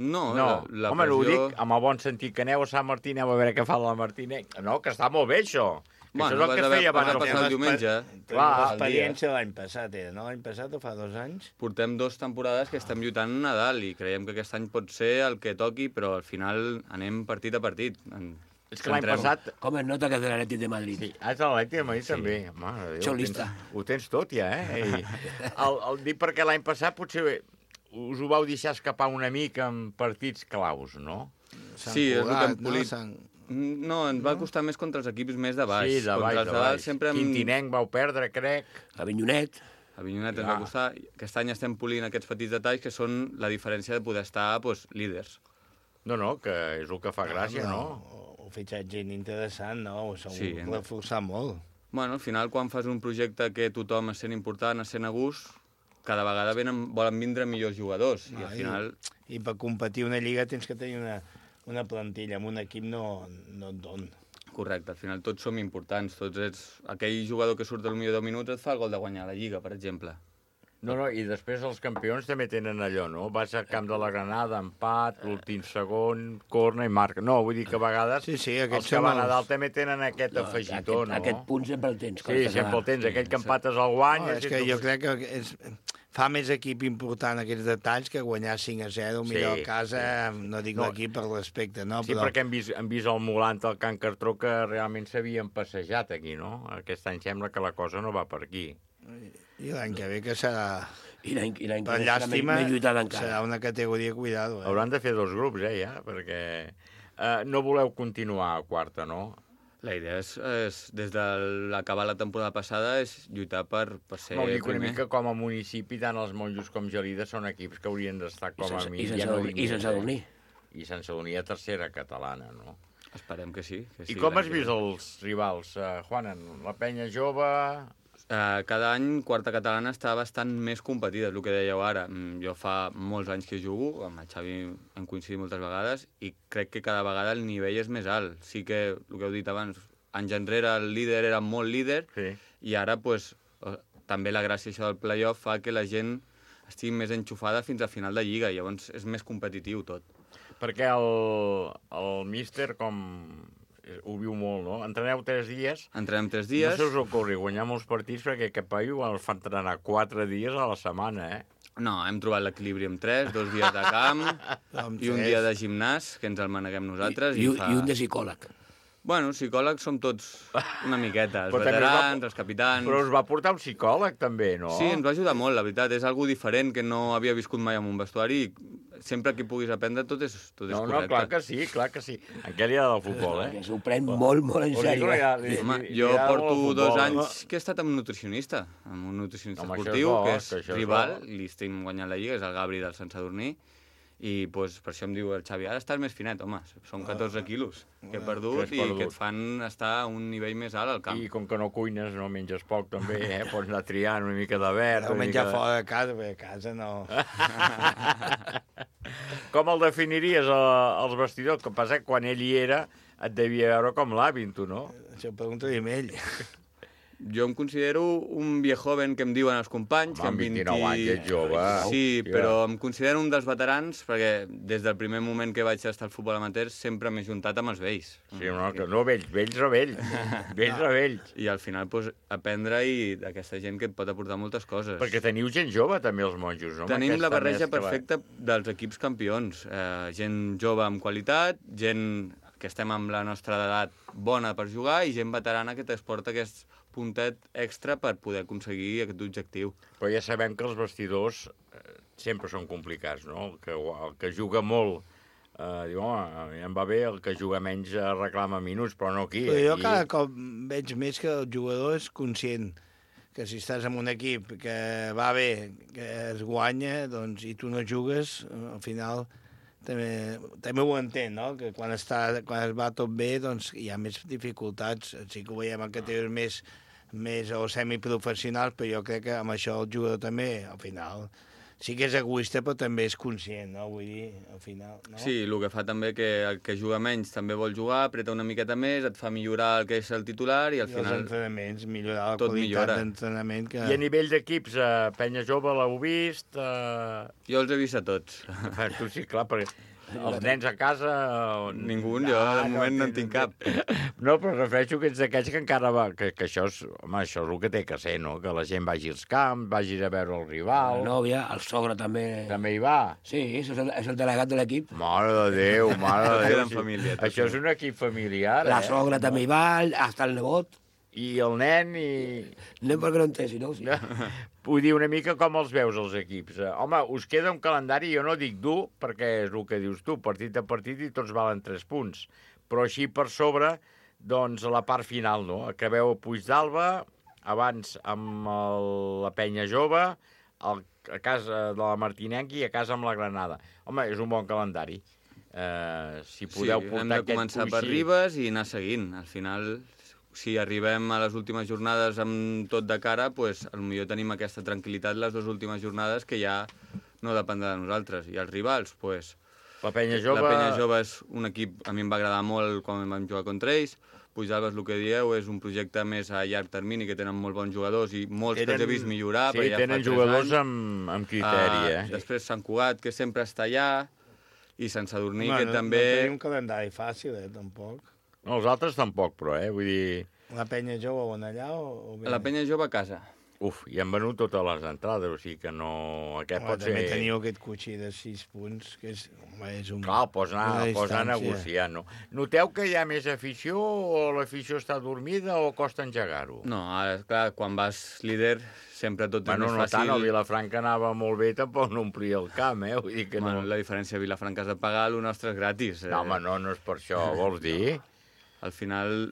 No, la Home, pressió... ho dic amb el bon sentit que aneu a Sant Martí, aneu a veure què fa la Martinenc. No, que està molt bé, això. Que Bueno, això és el que es feia abans passar el diumenge. L'experiència l'any passat era, no? L'any passat o fa 2 anys? Portem 2 temporades que estem lluitant a Nadal i creiem que aquest any pot ser el que toqui, però al final anem partit a partit. És que l'any passat... Com es nota que és de l'Atlètic de Madrid. Sí, és de l'Atlètic de Madrid també. Mare de Déu, Xolista. ho tens tot ja, I el dic perquè l'any passat potser us ho vau deixar escapar una mica en partits claus, no? Sí, és el que hem polit. No, ens va costar més contra els equips més de baix. Sí, de baix, contra els de dalt sempre Quintinenc vau perdre, crec. Avinyonet. Avinyonet ens va costar. Aquest any estem polint aquests petits detalls que són la diferència de poder estar líders. No, que és el que fa gràcia, no? Un fitxatge interessant, no? S'ha Sí, reforçat molt. Bueno, al final, quan fas un projecte que tothom es sent important, es sent a gust, cada vegada volen vindre millors jugadors. I al final... I per competir una lliga tens que tenir una plantilla. Amb un equip no et don. Correcte, al final tots som importants. Tots ets... Aquell jugador que surt al millor 10 minuts et fa el gol de guanyar la lliga, per exemple. No, i després els campions també tenen allò, no? Vas al camp de la Granada, empat, l'últim segon, corna i marca. No, vull dir que a vegades els que van a dalt també tenen aquest afegitó, no? Aquest punt sempre el tens. Sí, sempre el tens. Aquell que empates el guany... És que jo crec que fa més equip important aquests detalls que guanyar 5-0, millor a casa, no dic l'equip per respecte, no? Sí, perquè hem vist el Molant al Can Cartró que realment s'havien passejat aquí, no? Aquest any sembla que la cosa no va per aquí. I l'any que ve que serà... I l'any que per ve llàstima, serà més lluitada encara. serà una categoria, cuidado. Hauran de fer 2 grups, ja, perquè no voleu continuar a quarta, no? La idea és des de l'acabar la temporada passada, és lluitar per ser no, dic una primer. mica com a municipi, tant els Monjos com Gelida són equips que haurien d'estar com a mi. I Sant Sadurní. I Sant Sadurní a tercera catalana, no? Esperem que sí. I com has vist els rivals, Juanan? La penya jove... Cada any, quarta catalana està bastant més competida, és el que dèieu ara. Jo fa molts anys que jugo, amb el Xavi hem coincidit moltes vegades, i crec que cada vegada el nivell és més alt. Sí que, el que heu dit abans, anys enrere el líder era molt líder, i ara pues, també la gràcia això del play-off fa que la gent estigui més enxufada fins al final de lliga, i llavors és més competitiu tot. Perquè el míster, com... ho viu molt, no? Entreneu 3 dies. Entrenem 3 dies. No se us ocorri guanyar molts partits perquè aquest paio el fa entrenar 4 dies a la setmana, No, hem trobat l'equilibri amb 3, 2 dies de camp i un dia de gimnàs, que ens el maneguem nosaltres. I un de psicòleg. Bueno, psicòlegs som tots una miqueta, els veterans, els capitans... Però us va portar un psicòleg, també, no? Sí, ens va ajudar molt, la veritat. És algo diferent que no havia viscut mai en un vestuari i sempre que puguis aprendre tot és correcte. No, clar que sí. En què li ha del futbol, S'ho pren molt en sèrio. Home, jo porto 2 anys que he estat amb un nutricionista esportiu, que és rival, li estem guanyant la lliga, és el Gabri del Sant Sadurní, I doncs, per això em diu el Xavi, ara estàs més finet, home, són 14 quilos que he perdut i que et fan estar a un nivell més alt al camp. I com que no cuines, no menges poc també, pots anar triant una mica de verd. No menjar fora de casa, perquè a casa no... Com el definiries, els vestidors? Que passa que quan ell hi era et devia veure com l'avi, tu, no? Això pregunta-li a ell. Jo em considero un viejoven que em diuen els companys. Home, amb 29 anys ets jove. Sí, però em considero un dels veterans perquè des del primer moment que vaig estar al futbol amateur sempre m'he juntat amb els vells. Sí, no vells o vells. Vells o vells. I al final doncs, aprendre d'aquesta gent que et pot aportar moltes coses. Perquè teniu gent jove també, els monjos, no? Tenim la barreja perfecta dels equips campions. Gent jove amb qualitat, gent que estem amb la nostra edat bona per jugar i gent veterana que t'exporta aquest puntet extra per poder aconseguir aquest objectiu. Però ja sabem que els vestidors sempre són complicats, no? El que juga molt diu, home, em va bé, el que juga menys reclama minuts, però no aquí. Però jo cada cop veig més que el jugador és conscient que si estàs en un equip que va bé, que es guanya, doncs, i tu no jugues, al final també ho entén, no? Que quan es va tot bé, doncs hi ha més dificultats. Sí que ho veiem en categories més o semiprofessionals, però jo crec que amb això el jugador també, al final, sí que és egoista, però també és conscient, no? Vull dir, al final, no? Sí, el que fa també que el que juga menys també vol jugar, apreta una miqueta més, et fa millorar el que és el titular i al final... els entrenaments, millorar la qualitat d'entrenament. Que... I a nivell d'equips, Penya Jove l'heu vist? Jo els he vist a tots. Tu sí, clar, perquè els nens a casa... Ningú, jo de moment no en tinc cap. No, però refereixo que ets d'aquells que encara va... Que això és, home, això és el que té que ser, no? Que la gent vagi als camps, vagi a veure el rival... La nòvia, el sogre també... També hi va? Sí, és el delegat de l'equip. Mare de Déu, mare de Déu. Família, això és un equip familiar, La sogra també hi va, hasta el nebot. I el nen i... Nen perquè no en té, si no, sí. Vull dir, una mica com els veus, els equips. Home, us queda un calendari, jo no dic dur, perquè és el que dius tu, partit a partit i tots valen 3 punts. Però així per sobre, doncs, a la part final, no? Acabeu a Puigdàlber, abans amb la Penya Jove, a casa de la Martinenca i a casa amb la Granada. Home, és un bon calendari. Si podeu portar hem de començar per Ribes i anar seguint. Al final... Si arribem a les últimes jornades amb tot de cara, doncs potser tenim aquesta tranquil·litat les dues últimes jornades que ja no dependrà de nosaltres. I els rivals, doncs... La Penya Jove... La Penya Jove és un equip, a mi em va agradar molt quan vam jugar contra ells. Puigdàlber, el que dieu, és un projecte més a llarg termini, que tenen molt bons jugadors i molts que els he vist millorar. Sí, ja tenen jugadors amb criteri, Després Sant Cugat, que sempre està allà, i Sant Sadurní, que també... No tenim un calendari fàcil, tampoc. No, els altres tampoc, però, vull dir... La Penya Jove on allà o... La Penya Jove a casa. Uf, i han venut totes les entrades, o sigui que no... Aquest pot ser... També teniu aquest cotxí de 6 punts, que és, un... Clar, pots anar a negociar, no? Noteu que hi ha més afició o l'afició està dormida o costa engegar-ho? No, ara, clar, quan vas líder sempre tot és més fàcil. No tant, el Vilafranca anava molt bé, tampoc no omplia el camp, Vull dir que no... La diferència de Vilafranca és de pagar, el nostre és gratis. No, home, no és per això, vols dir? Al final...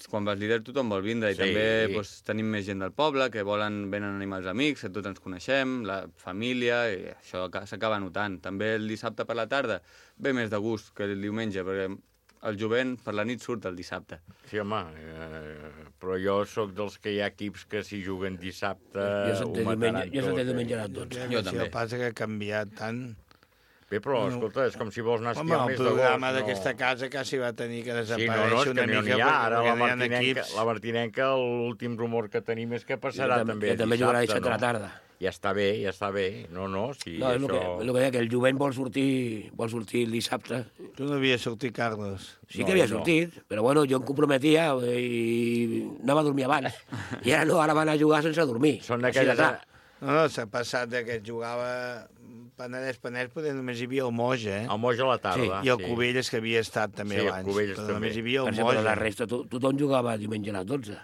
Quan vas líder tothom vol vindre i també tenim més gent del poble que venen a animar els amics, que tots ens coneixem, la família, i això s'acaba notant. També el dissabte per la tarda ve més de gust que el diumenge, perquè el jovent per la nit surt el dissabte. Sí, home, però jo sóc dels que hi ha equips que si juguen dissabte ho mataran tot. Jo senté diumenge a les 12. Jo també. El passa que ha canviat tant... Bé, però, escolta, és com si vols anar a esquiar el mes d'agost. Home, el programa d'aquesta casa quasi va tenir que desaparèixer una mica. Sí, no, ara la Martinenca, l'últim rumor que tenim és que passarà també dissabte. També jugarà dissabte a la tarda. Ja està bé. No, si no, és el que deia, que el jovent vol sortir el dissabte. Tu no havies sortit, Carlos? Sí que havia sortit, però bueno, jo em comprometia i anava a dormir abans. I ara no, ara van a jugar sense dormir. Són d'aquelles... No, s'ha passat que jugava... Penedès, però només hi havia el Moja, El Moja a la tarda, I el Cubelles, que havia estat també abans. Sí, el Cubelles també. Només hi havia el Moja. Però la resta, tothom jugava diumenge a les 12.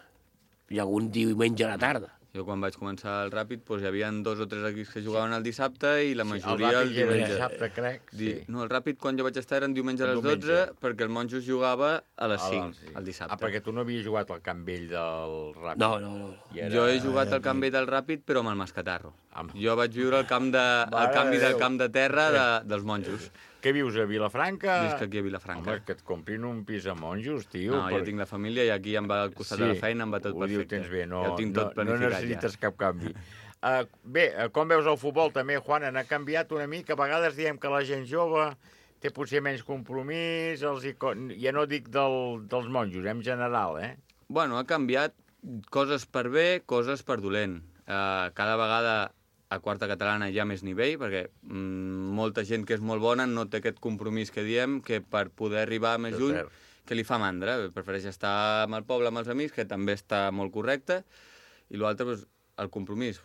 I algun diumenge a la tarda. Jo quan vaig començar el Ràpid hi havia 2 o 3 equips que jugaven el dissabte i la majoria el diumenge. El dissabte, crec. No, el Ràpid quan jo vaig estar eren diumenge a les 12 perquè el Monjos jugava a les 5 el dissabte. Perquè tu no havies jugat al Camp Vell del Ràpid. No. Jo he jugat al Camp Vell del Ràpid però amb el Mascatarro. Jo vaig viure el canvi del camp de terra dels monjos. Què vius, a Vilafranca? Visc aquí a Vilafranca. Home, que et comprin un pis a monjos, tio. No, jo tinc la família i aquí em va al costat de la feina, em va tot perfecte. Ho tens bé, no, ja ho tinc tot planificat. No necessites cap canvi. Bé, com veus el futbol també, Juan, ha canviat una mica. A vegades diem que la gent jove té potser menys compromís, ja no dic dels monjos, en general, eh? Bueno, ha canviat coses per bé, coses per dolent. Cada vegada a quarta catalana hi ha més nivell, perquè molta gent que és molt bona no té aquest compromís que diem, que per poder arribar més lluny, que li fa mandra. Prefereix estar amb el poble, amb els amics, que també està molt correcte, i l'altre, el compromís,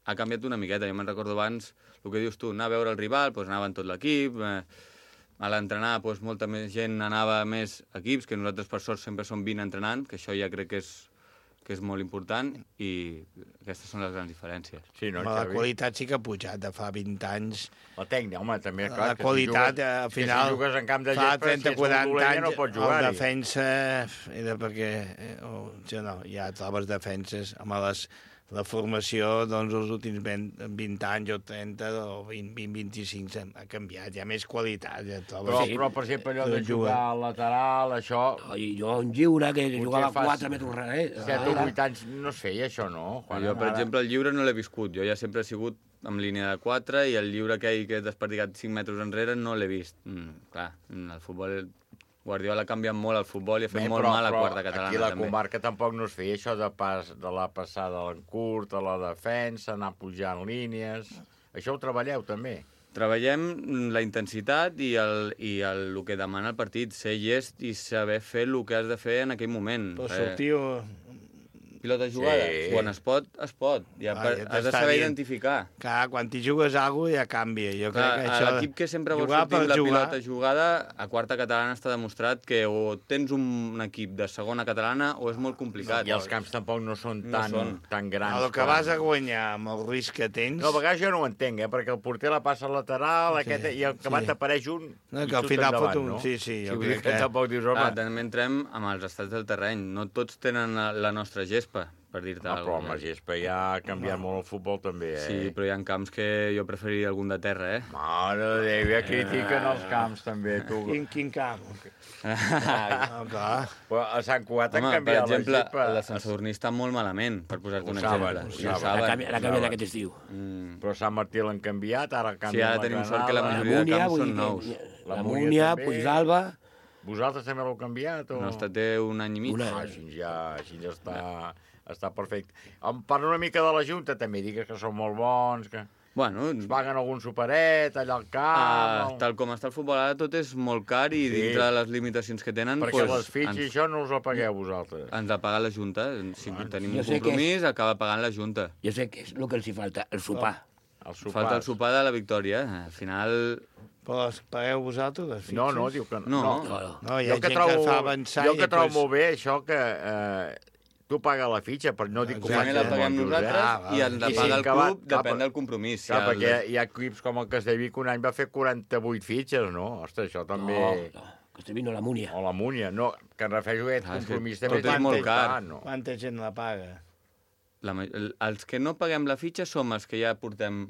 ha canviat una miqueta. Jo me'n recordo abans, el que dius tu, anar a veure el rival, anava en tot l'equip, a l'entrenar molta més gent anava a més equips, que nosaltres per sort sempre som 20 entrenant, que això ja crec que és molt important, i aquestes són les grans diferències. Sí, no, la qualitat sí que ha pujat de fa 20 anys. La tècnica, home, també, clar, la qualitat, al final, si jugues en camp de fa gespa, 30-40 anys, no pots jugar-hi. el defensa era perquè ja trobes defenses amb la formació, doncs, els últims 20 anys o 30 o 20-25 ha canviat, hi ha més qualitat. Ja però, per exemple, allò de jugar al lateral, això... Jo un lliure, que jugava 4 metres darrere. 7 o 8 anys no es feia, això, no? Jo, per exemple, el lliure no l'he viscut. Jo ja sempre he sigut amb línia de 4 i el lliure que he desperdigat 5 metres enrere no l'he vist. Clar, el futbol... Guardiola ha canviat molt el futbol i ha fet molt mal a quarta catalana. Aquí a la comarca tampoc no es feia això de la passada a l'encurt, a la defensa, anar pujant línies... Això ho treballeu també? Treballem la intensitat i el que demana el partit, ser llest i saber fer el que has de fer en aquell moment. Però sortiu... Pilota jugada, quan es pot, es pot. Has de saber identificar. Clar, quan t'hi jugues alguna cosa ja canvia. Jo crec que això... L'equip que sempre vol sortir amb la pilota jugada, a quarta catalana està demostrat que o tens un equip de segona catalana o és molt complicat. I els camps tampoc no són tan grans. El que vas a guanyar amb el risc que tens... No, a vegades jo no ho entenc, perquè el porter la passa al lateral i el que va t'apareix un i que al final fot un... Sí, que tampoc dius, home... També entrem amb els estats del terreny. No tots tenen la nostra gespa, per dir-te alguna cosa. Però amb la gespa ja ha canviat molt el futbol, també, eh? Sí, però hi ha camps que jo preferiria algun de terra, eh? Mare de Déu, ja critiquen els camps, també, tu. Quin camp? Però a Sant Cugat han canviat la gespa. Per exemple, la Sant Sadurní està molt malament, per posar-te un exemple. Ho saben. L'ha canviat aquest estiu. Però Sant Martí l'han canviat, ara canvien la Granada. Sí, ara tenim sort que la majoria de camps són nous. La Múnia, Puigdàlber... Vosaltres també l'heu canviat? No, té un any i mig. Així ja està perfecte. Em parla una mica de la Junta, també digues que són molt bons, que... Bueno, es paguen algun superet allà al camp... Tal com està el futbol ara, tot és molt car i dintre de les limitacions que tenen... Perquè les fitxes i això no us ho pagueu vosaltres. Ens ha pagat la Junta. Si tenim un compromís, acaba pagant la Junta. Jo sé que és el que els hi falta, el sopar. Falta el sopar de la victòria. Al final... Però els pagueu vosaltres, les fitxes? No, diu que no. No, hi ha gent que fa avançar... Jo que trobo molt bé això que... Tu paga la fitxa, però no dic que ho la paguem nosaltres i ens la paga el club, depèn del compromís. Clar, perquè hi ha equips com el Castellví que un any va fer 48 fitxes, no? Ostres, això també... No, Castellví no, la Múnia. O la Múnia, no, que em refereixo a aquest compromís també. Tot és molt car. Quanta gent la paga? Els que no paguem la fitxa som els que ja portem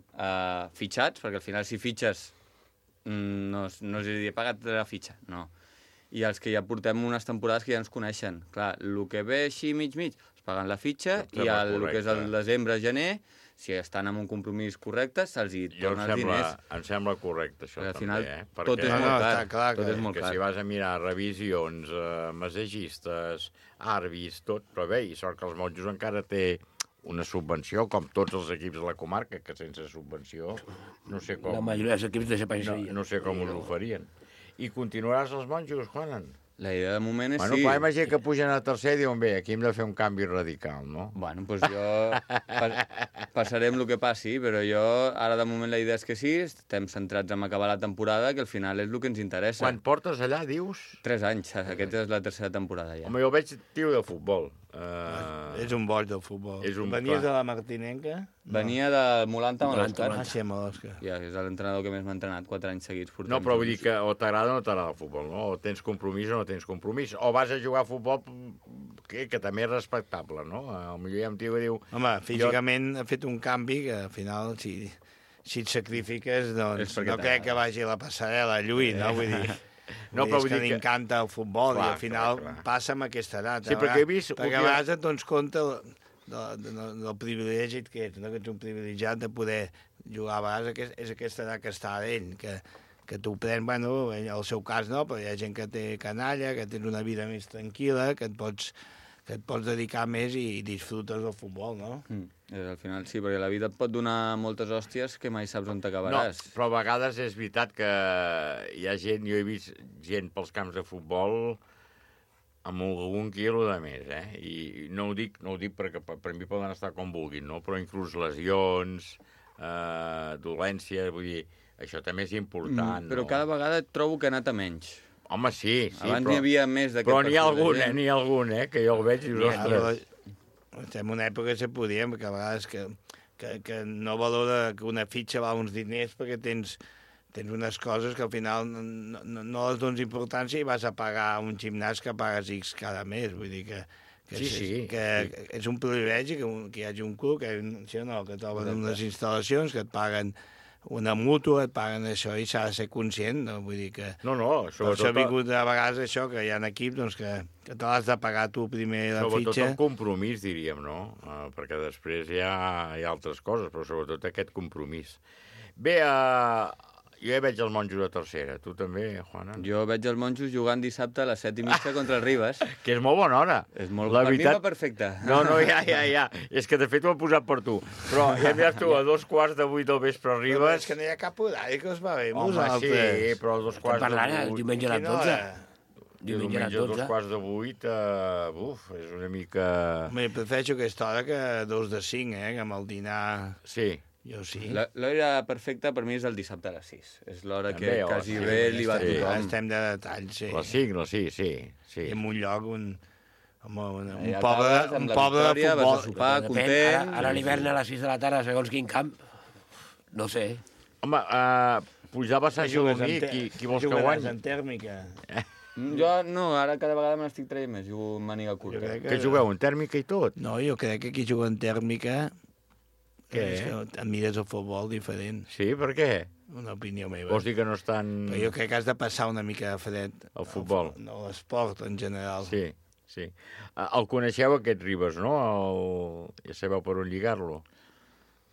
fitxats, perquè al final si fitxes no es diria pagat la fitxa, no. I els que ja portem unes temporades que ja ens coneixen. Clar, el que ve així mig, es paguen la fitxa i el que és el desembre, gener, si estan en un compromís correcte, se'ls hi torna els diners. Em sembla correcte, això, al final, també, eh? Tot és molt car. Tot és molt car. Si vas a mirar revisions, massagistes, àrbits, tot, però bé, i sort que els monjos encara té una subvenció, com tots els equips de la comarca, que sense subvenció no sé com... La majoria dels equips desapareixerien. No sé com us ho farien. I continuaràs els monjos, Juanan? La idea de moment és sí. Bueno, clar, imagina que pugen a tercer i diuen, bé, aquí hem de fer un canvi radical, no? Bueno, doncs jo passarem el que passi, però jo, ara de moment la idea és que sí, estem centrats en acabar la temporada, que al final és el que ens interessa. Quan portes allà, dius? 3 anys, aquesta és la tercera temporada ja. Home, jo veig tio de futbol. És un boig del futbol. Venies de la Martinenca? Venia de Molanta a l'Òscar. Sí, a l'Òscar. Ja, és l'entrenador que més m'ha entrenat 4 anys seguits. No, però vull dir que o t'agrada o no t'agrada el futbol, no? O tens compromís o no tens compromís. O vas a jugar a futbol que també és respectable, no? Potser hi ha un tio que diu... Home, físicament ha fet un canvi que al final, si et sacrifiques, doncs no crec que vagi a la passarel·la a lluir, no? Vull dir... No, però és que m'encanta el futbol i al final passa amb aquesta edat. Sí, perquè he vist... Perquè a vegades et dones compte del privilegi que ets, no? Que ets un privilegiat de poder jugar. A vegades és aquesta edat que està d'ell, que t'ho pren, bueno, en el seu cas no, però hi ha gent que té canalla, que tens una vida més tranquil·la, que et pots dedicar més i disfrutes del futbol, no? Al final sí, perquè la vida et pot donar moltes hòsties que mai saps on t'acabaràs. No, però a vegades és veritat que hi ha gent, jo he vist gent pels camps de futbol amb algun quilo de més, I no ho dic perquè per mi poden estar com vulguin, no? Però inclús lesions, dolències, vull dir, això també és important, Però cada vegada trobo que ha anat a menys. Home, sí. Abans n'hi havia més d'aquest però n'hi ha algun, que jo el veig i dius, ostres... Estem en una època que se podia, perquè a vegades que no valora que una fitxa val uns diners perquè tens unes coses que al final no les dones importància i vas a pagar un gimnàs que pagues X cada mes. Vull dir que és un privilegi que hi hagi un club que troben unes instal·lacions que et paguen una mútua, et paguen això i s'ha de ser conscient, no? Vull dir que... No, sobretot... Per això ha vingut a vegades això, que hi ha equips doncs, que te l'has de pagar tu primer la fitxa. Sobretot el compromís, diríem, no? Perquè després hi ha altres coses, però sobretot aquest compromís. Bé, jo ja veig els monjos a tercera. Tu també, Juana? Jo veig els monjos jugant dissabte a les 7:30 contra el Ribes. Que és molt bona hora. És molt bona. Per mi va perfecte. No, ja. És que de fet ho he posat per tu. Però ja mires tu, a 2:15 del vespre a Ribes... És que no hi ha cap horari que us va bé. Home, sí, però a 2:15 el diumenge a les 12. Diumenge a 2:15, és una mica... Home, prefereixo aquesta hora que 2:05, que amb el dinar... Sí. Jo sí. L'hora perfecta per mi és el dissabte a les 6. És l'hora que quasi bé li va a tothom. Estem de detall, sí. Les 5, sí. I en un lloc, un poble de futbol. Vas a sopar, content... Ara a l'hivern a les 6 de la tarda, segons quin camp, no sé. Home, pujar a Sant Sadurní, qui vols que guanyi? En tèrmica. Jo no, ara cada vegada me n'estic traient més, jugo en màniga curta. Que jugueu, en tèrmica i tot? No, jo crec que qui juga en tèrmica... És que et mires el futbol diferent. Sí, per què? Una opinió meva. Vols dir que no estan... Però jo crec que has de passar una mica de fred. El futbol. No, l'esport en general. Sí. El coneixeu, aquest Ribes, no? Ja sabeu per on lligar-lo.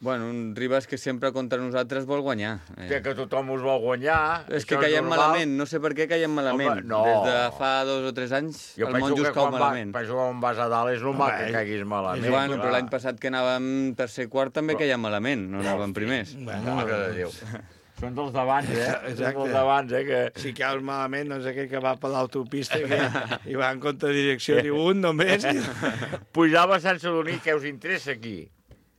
Bueno, un Ribes que sempre contra nosaltres vol guanyar. Que tothom us vol guanyar. És que caiem malament, no sé per què caiem malament. Home, no. Des de fa 2 o 3 anys el monjos cau malament. Penso que quan vas a dalt és normal que caiguis malament. Bueno, però l'any passat que anàvem tercer quart també caiem malament, no anàvem primers. Mare de Déu. Són dels d'abans, Són dels d'abans, que... Si caus malament, doncs aquell que va per l'autopista i va en contra direcció, diu un només. Pujava a Sant Sadurní, què us interessa aquí?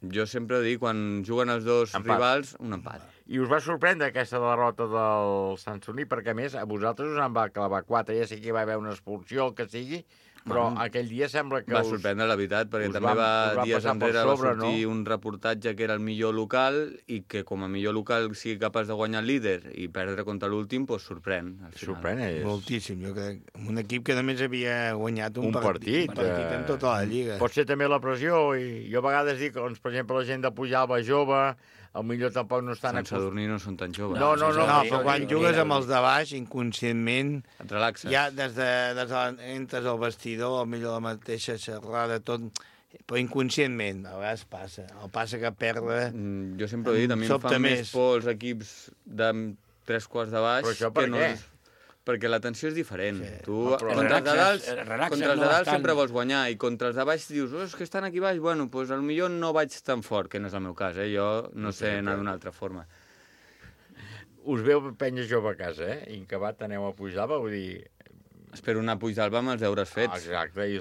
Jo sempre dic, quan juguen els dos rivals, un empat. I us va sorprendre aquesta derrota del Sant Sadurní, perquè a més a vosaltres us en va clavar 4, ja sé que hi va haver una expulsió, el que sigui, però aquell dia sembla que va sorprendre, la veritat, perquè també dies enrere va sortir un reportatge que era el millor local i que com a millor local sigui capaç de guanyar el líder i perdre contra l'últim, doncs sorprèn. Sorprèn, moltíssim, jo crec. Un equip que només havia guanyat un partit en tota la lliga. Pot ser també la pressió, i jo a vegades dic, doncs, per exemple, la gent de Pujalba jove, potser tampoc no estan... Sant Sadurní no són tan joves. No, però quan jugues amb els de baix, inconscientment... Et relaxes. Ja des de entres al vestidor, millor la mateixa xerrada, tot... Però inconscientment, a vegades passa. El passa que perdre... Jo sempre ho he dit, a mi em fan més por els equips de 3 quarts de baix... Però això per què? Perquè la tensió és diferent. Sí. Tu contra els de dalt sempre vols guanyar i contra els de baix dius, és que estan aquí baix, bueno, doncs potser no vaig tan fort, que no és el meu cas, jo no sé anar d'una altra forma. Us veu penya jove a casa, Incabat aneu a Puigdàlber, vull dir... Espero anar a Puigdàlber amb els deures fets,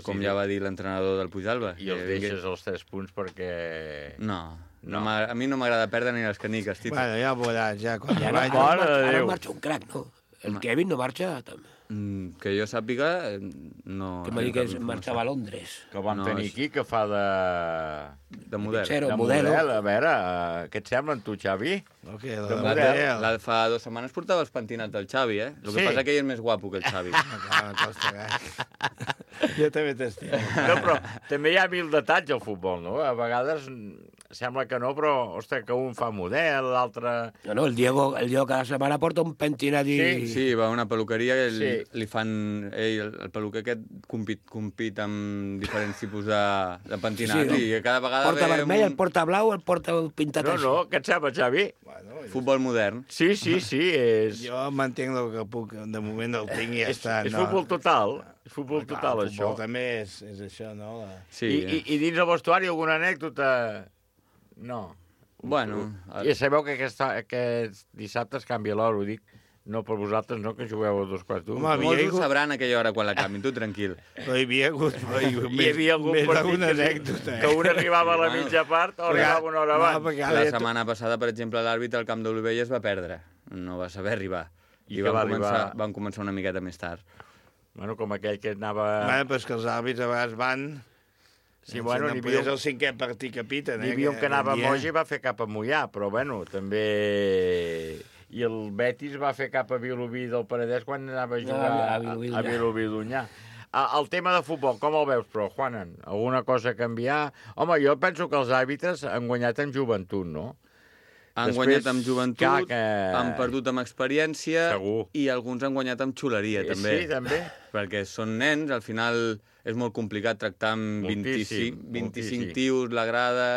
com ja va dir l'entrenador del Puigdàlber. I els deixes els 3 punts perquè... No, a mi no m'agrada perdre ni les caniques, Tito. Bueno, ja veuràs, ja quan ara marxa un crac, no? El Kevin no marxa també. Que jo sàpiga, no... Que m'ha dit que marxava a Londres. Que el vam tenir aquí, que fa de... De model. De model. A veure, què et sembla, tu, Xavi? De model. Fa 2 setmanes portava els pentinats del Xavi, El que passa que ell és més guapo que el Xavi. Jo també t'estimo. No, però també hi ha 1000 detalls al futbol, no? A vegades sembla que no, però, ostres, que un fa model, l'altre... No, el Diego cada setmana porta un pentinat i... Sí, va a una peluqueria i Sí. li fan... el peluquer aquest compit amb diferents tipus de pentinat i cada vegada porta ve... vermell, el porta blau, el porta pintat No, així. no, què et sembla, Xavi? Futbol modern. Sí, és... Jo mantenc el que puc, de moment el tinc i ja està. És futbol total, és futbol total, el això. futbol també és això, no? Sí. I dins el vestuari alguna anècdota? No. Bueno... I sabeu que aquests dissabtes canvia l'hora, ho dic. No per vosaltres, no, que jugueu a 2:15. Molts ho sabran a aquella hora quan la canvin, tu tranquil. Però hi havia hagut Hi havia algun més partit d'una anècdota. que un arribava a la mitja part o arribava una hora abans. La setmana passada, per exemple, l'àrbitre al camp d'Olivella es va perdre. No va saber arribar. I I que va arribar? van començar una miqueta més tard. Bueno, com aquell que anava... Bueno, però és que els àrbits a vegades van... Sí, bueno, no n'hi poder havia el cinquè partit que piten. N'hi havia un que anava a Moja i va fer cap a Mollà, però bueno, també... I el Betis va fer cap a Vilobí del Penedès quan anava a jugar a Vilobí d'Onyar. El tema de futbol, com el veus, però, Juanan? Alguna cosa a canviar? Home, jo penso que els àrbitres han guanyat en joventut, no? Han guanyat amb joventut, han perdut amb experiència i alguns han guanyat amb xuleria, també. Sí, també. Perquè són nens, al final és molt complicat tractar amb 25 tios, la grada...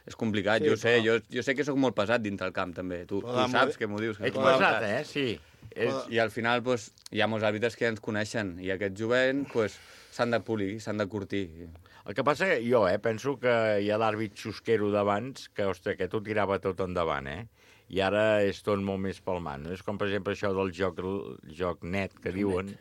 És complicat, Sí, jo sé que sóc molt pesat dintre el camp, també. Tu saps que m'ho dius. Ets pesat, sí. I al final hi ha molts àrbitres que ja ens coneixen i aquest jovent s'han de polir, s'han de curtir. El que passa que jo penso que hi ha l'àrbit xusquero d'abans que, ostres, que tot tirava tot endavant, i ara és tot molt més palmant. És com, per exemple, això del joc net, que diuen.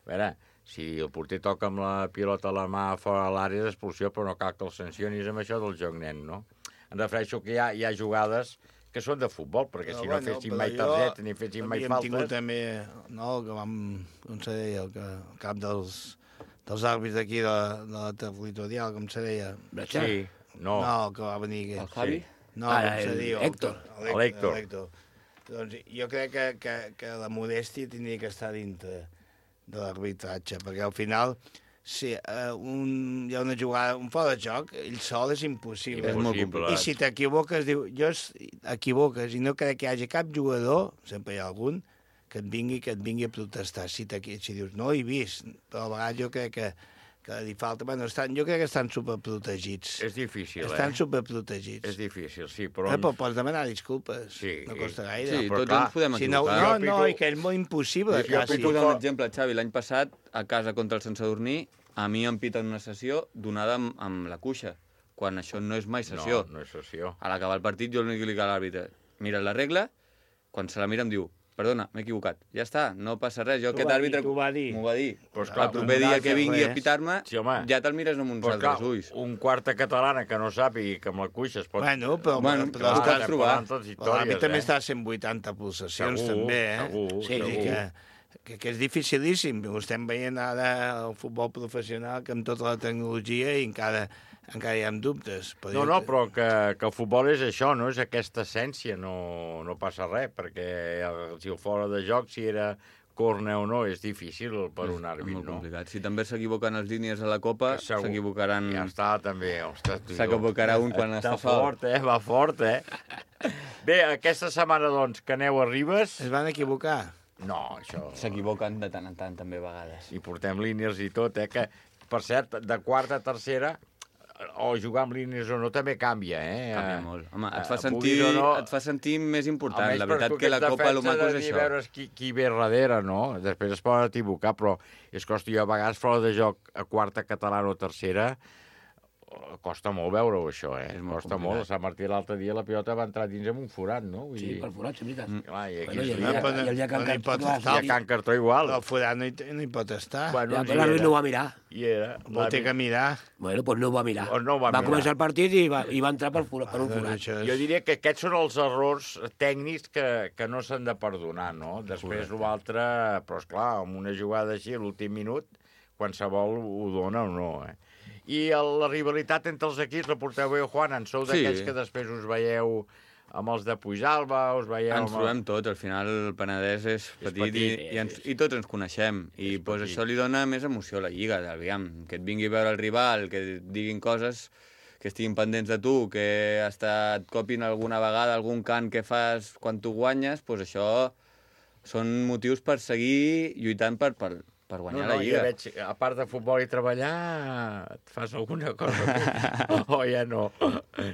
A veure, si el porter toca amb la pilota a la mà fora de l'àrea d'expulsió, però no cal que el sancionis amb això del joc net, no? Em refereixo que hi ha jugades que són de futbol, perquè si no fessin mai targets ni fessin mai faltes... Havíem tingut també, no, el que vam, com se deia, el cap dels àrbits d'aquí de la territorial, com se deia? Sí, no. No, el que va venir aquí. El Javi? No, com se diu? L'Héctor. Doncs jo crec que la modèstia tindria que estar dintre de l'arbitratge, perquè al final... Si hi ha una jugada, un fora de joc, ell sol és impossible. És molt complicat. I si t'equivoques, t'equivoques i no crec que hi hagi cap jugador, sempre hi ha algun, que et vingui a protestar. Si dius, no he vist, però a vegades jo crec que li falta... Bueno, jo crec que estan superprotegits. És difícil, Estan superprotegits. És difícil, sí, però... Però pots demanar disculpes. Sí. No costa gaire. Sí, tots ens podem No, equivocar. i que és molt impossible. Jo puc posar un exemple, Xavi. L'any passat, a casa contra el Sant Sadurní, a mi em piten una sessió donada amb la cuixa, quan això no és mai sessió. No és sessió. A l'acabar el partit, jo l'únic que li dic a l'àrbitre, mira la regla, quan se la mira em diu, perdona, m'he equivocat. Ja està, no passa res. Jo aquest àrbitre m'ho va dir. Pues clar, el proper dia que vingui a pitar-me, ja te'l mires amb uns altres ulls. Un quarta catalana que no sàpiga que amb la cuixa es pot... Però pots trobar. L'àrbitre també està a 180 pulsacions, també, Segur. Que és dificilíssim. Ho estem veient ara al futbol professional, que amb tota la tecnologia i encara hi ha dubtes. Però que el futbol és això, no? És aquesta essència, no passa res, perquè si el fora de joc, si era córner o no, és difícil per un àrbit, no? És molt complicat. Si també s'equivoquen els línies a la Copa, s'equivocaran... Ja està, també. S'equivocarà un quan està fort. Va fort, Bé, aquesta setmana, doncs, que aneu a Ribes... Es van equivocar? No, això... S'equivoquen de tant en tant, també, a vegades. I portem línies i tot, que, per cert, de quarta a tercera, o jugar amb línies o no, també canvia, Canvia molt. Home, et fa sentir més important. La veritat que la Copa lo maco és això. Veure qui ve darrere, no? Després es poden equivocar, però és que, hosti, jo a vegades fora de joc a quarta catalana o tercera costa molt veure-ho, això, Costa molt. A Sant Martí l'altre dia la pilota va entrar dins amb un forat, no? Sí, per forat, és veritat. I el Can Cartró igual. El forat no hi pot estar. Però l'àrbit no ho va mirar. Vol ter que mirar. Bueno, doncs no ho va mirar. Va començar el partit i va entrar per un forat. Jo diria que aquests són els errors tècnics que no s'han de perdonar, no? Després l'altre, però esclar, amb una jugada així a l'últim minut, qualsevol ho dona o no, I la rivalitat entre els equips la porteu bé, Juan? En sou d'aquells que després us veieu amb els de Puigdàlber, us veieu... Ens trobem tots, al final el Penedès és petit i tots ens coneixem. I pues, això li dona més emoció a la Lliga, aviam, que et vingui a veure el rival, que et diguin coses, que estiguin pendents de tu, que et copin alguna vegada algun cant que fas quan tu guanyes, pues això són motius per seguir lluitant per guanyar la Lliga. Ja veig, a part de futbol i treballar, et fas alguna cosa? O ja no?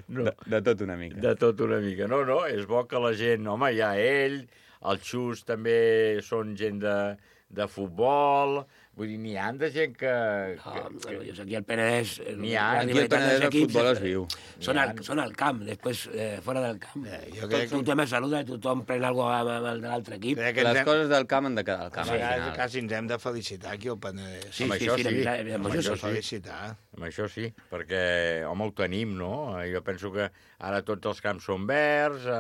De tot una mica. De tot una mica. No, és bo que la gent... Home, hi ha ell, el Xus també són gent de futbol... Vull dir, n'hi ha de gent que... Aquí al Penedès... Aquí al Penedès el futbol es viu. Són al camp, després fora del camp. Tot un tema de salut, tothom pren alguna cosa amb el de l'altre equip. Les coses del camp han de quedar al camp. A vegades quasi ens hem de felicitar aquí al Penedès. Amb això sí. Amb això felicitar. Amb això sí, perquè, home, ho tenim, no? Jo penso que ara tots els camps són verds...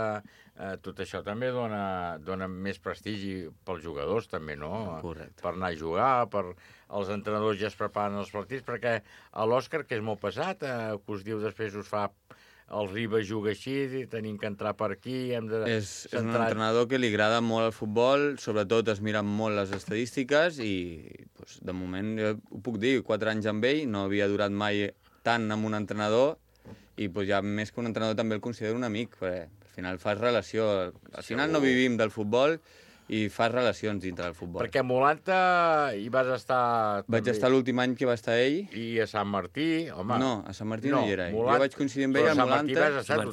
tot això també dona més prestigi pels jugadors, també, no? Correcte. Per anar a jugar, els entrenadors ja es preparen els partits, perquè a l'Òscar, que és molt pesat, que us diu després us fa... El Ribas juga així, tenim que entrar per aquí... És un entrenador que li agrada molt el futbol, sobretot es miren molt les estadístiques i, doncs, de moment, jo ho puc dir, 4 anys amb ell, no havia durat mai tant amb un entrenador i doncs, ja més que un entrenador també el considero un amic, perquè al final fas relació. Al final no vivim del futbol i fas relacions dintre del futbol. Perquè a Molanta hi vas estar... Vaig estar l'últim any que va estar ell. I a Sant Martí, home... No, a Sant Martí no hi era ell. Jo vaig coincidir amb ell a Molanta. A Sant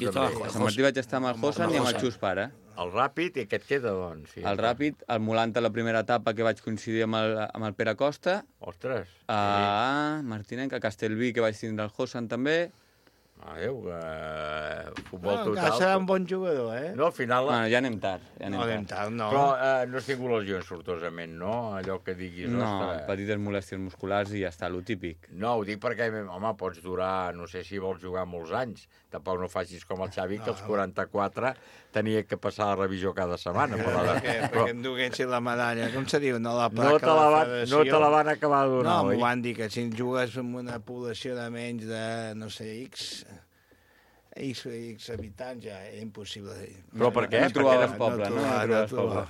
Martí vaig estar amb el Josan i amb el Xus Pare. El Ràpid, i què et queda, doncs? El Ràpid, el Molanta, la primera etapa que vaig coincidir amb el Pere Costa. Ostres! A Martinenc, a Castellví, que vaig tindre el Josan també. Adéu, futbol total. Encara serà un bon jugador, eh? No, al final... Ja anem tard. No anem tard, no. Però no has tingut lesions, sortosament, no? Allò que diguis... No, petites molèsties musculars i ja està, lo típic. No, ho dic perquè, home, pots durar, no sé si vols jugar molts anys. Tampoc no facis com el Xavi, que als 44 tenia que passar la revisió cada setmana. Perquè em duguessin la medalla. Com se diu? No, la placa de la federació. No te la van acabar de donar, oi? No, m'ho van dir, que si jugues amb una població de menys de, no sé, X habitants, ja era impossible. Però per què? No trobaves poble, no?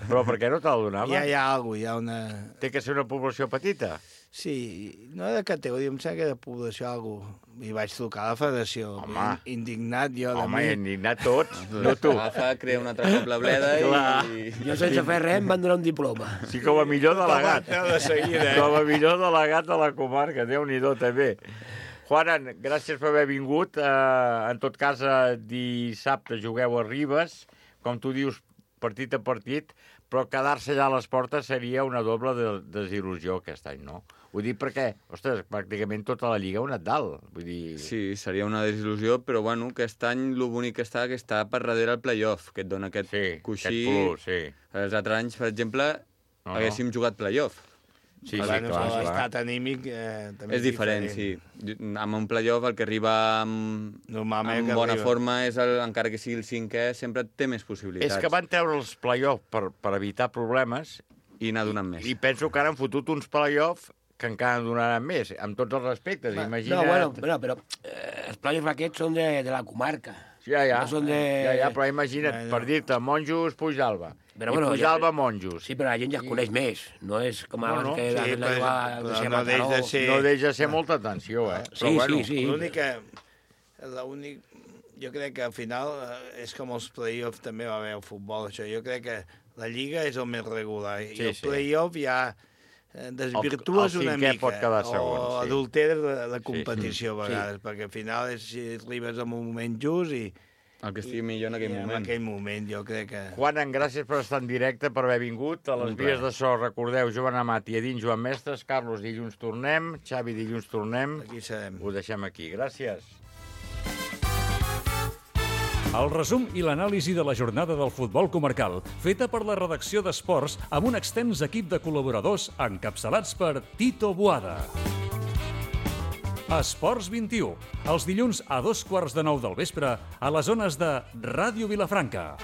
Però per què no te la donava? Ja hi ha alguna cosa, hi ha una... Té que ser una població petita? Sí, no de categoria, em sembla que de població alguna cosa. I vaig trucar a la federació. Home. Indignat jo de mi. Home, indignat tots. No tu. Agafa, crea una altra cobla bleda i... Jo sense fer res em van donar un diploma. Sí, com a millor delegat. De seguida, Com a millor delegat de la comarca. Déu-n'hi-do, també. Juanan, gràcies per haver vingut. En tot cas, dissabte jugueu a Ribes, com tu dius, partit a partit, però quedar-se allà a les portes seria una doble desil·lusió aquest any, no? Ho dic perquè, ostres, pràcticament tota la Lliga ha anat dalt. Vull dir... Sí, seria una desil·lusió, però bueno, aquest any el bonic que està per darrere el play-off, que et dona aquest coixí. Aquest plus, sí. Els altres anys, per exemple, haguéssim jugat play-off. Sí, clar. L'estat anímic també és diferent, sí. Amb un play-off el que arriba amb bona forma, encara que sigui el 5è, sempre té més possibilitats. És que van treure els play-off per evitar problemes i anar donant més. I penso que ara han fotut uns play-off que encara en donaran més, amb tots els respectes. Imagina't... No, però els play-offs aquests són de la comarca. Ja, no són però imagina't, per dir-te, Monjos, Puigdàlber. I Puigdàlber, Monjos. Sí, però la gent ja coneix més. No és com abans que... No deixa de ser molta atenció, eh? Sí. L'únic... Jo crec que al final és com els play-offs també va haver el futbol, això. Jo crec que la Lliga és el més regular. I el play-off ja desvirtues una mica. O adulteres la competició a vegades, perquè al final si arribes en un moment just i... El que estigui millor en aquell moment. En aquell moment, jo crec que... Juanan, gràcies per estar en directe, per haver vingut. A les vies de so, recordeu, Joan Amat i Edín Joan Mestres. Carlos, dilluns tornem. Xavi, dilluns tornem. Aquí serem. Ho deixem aquí. Gràcies. El resum i l'anàlisi de la jornada del futbol comarcal, feta per la redacció d'Esports amb un extens equip de col·laboradors encapçalats per Tito Boada. Esports 21, els dilluns a 2:15 del vespre a les zones de Ràdio Vilafranca.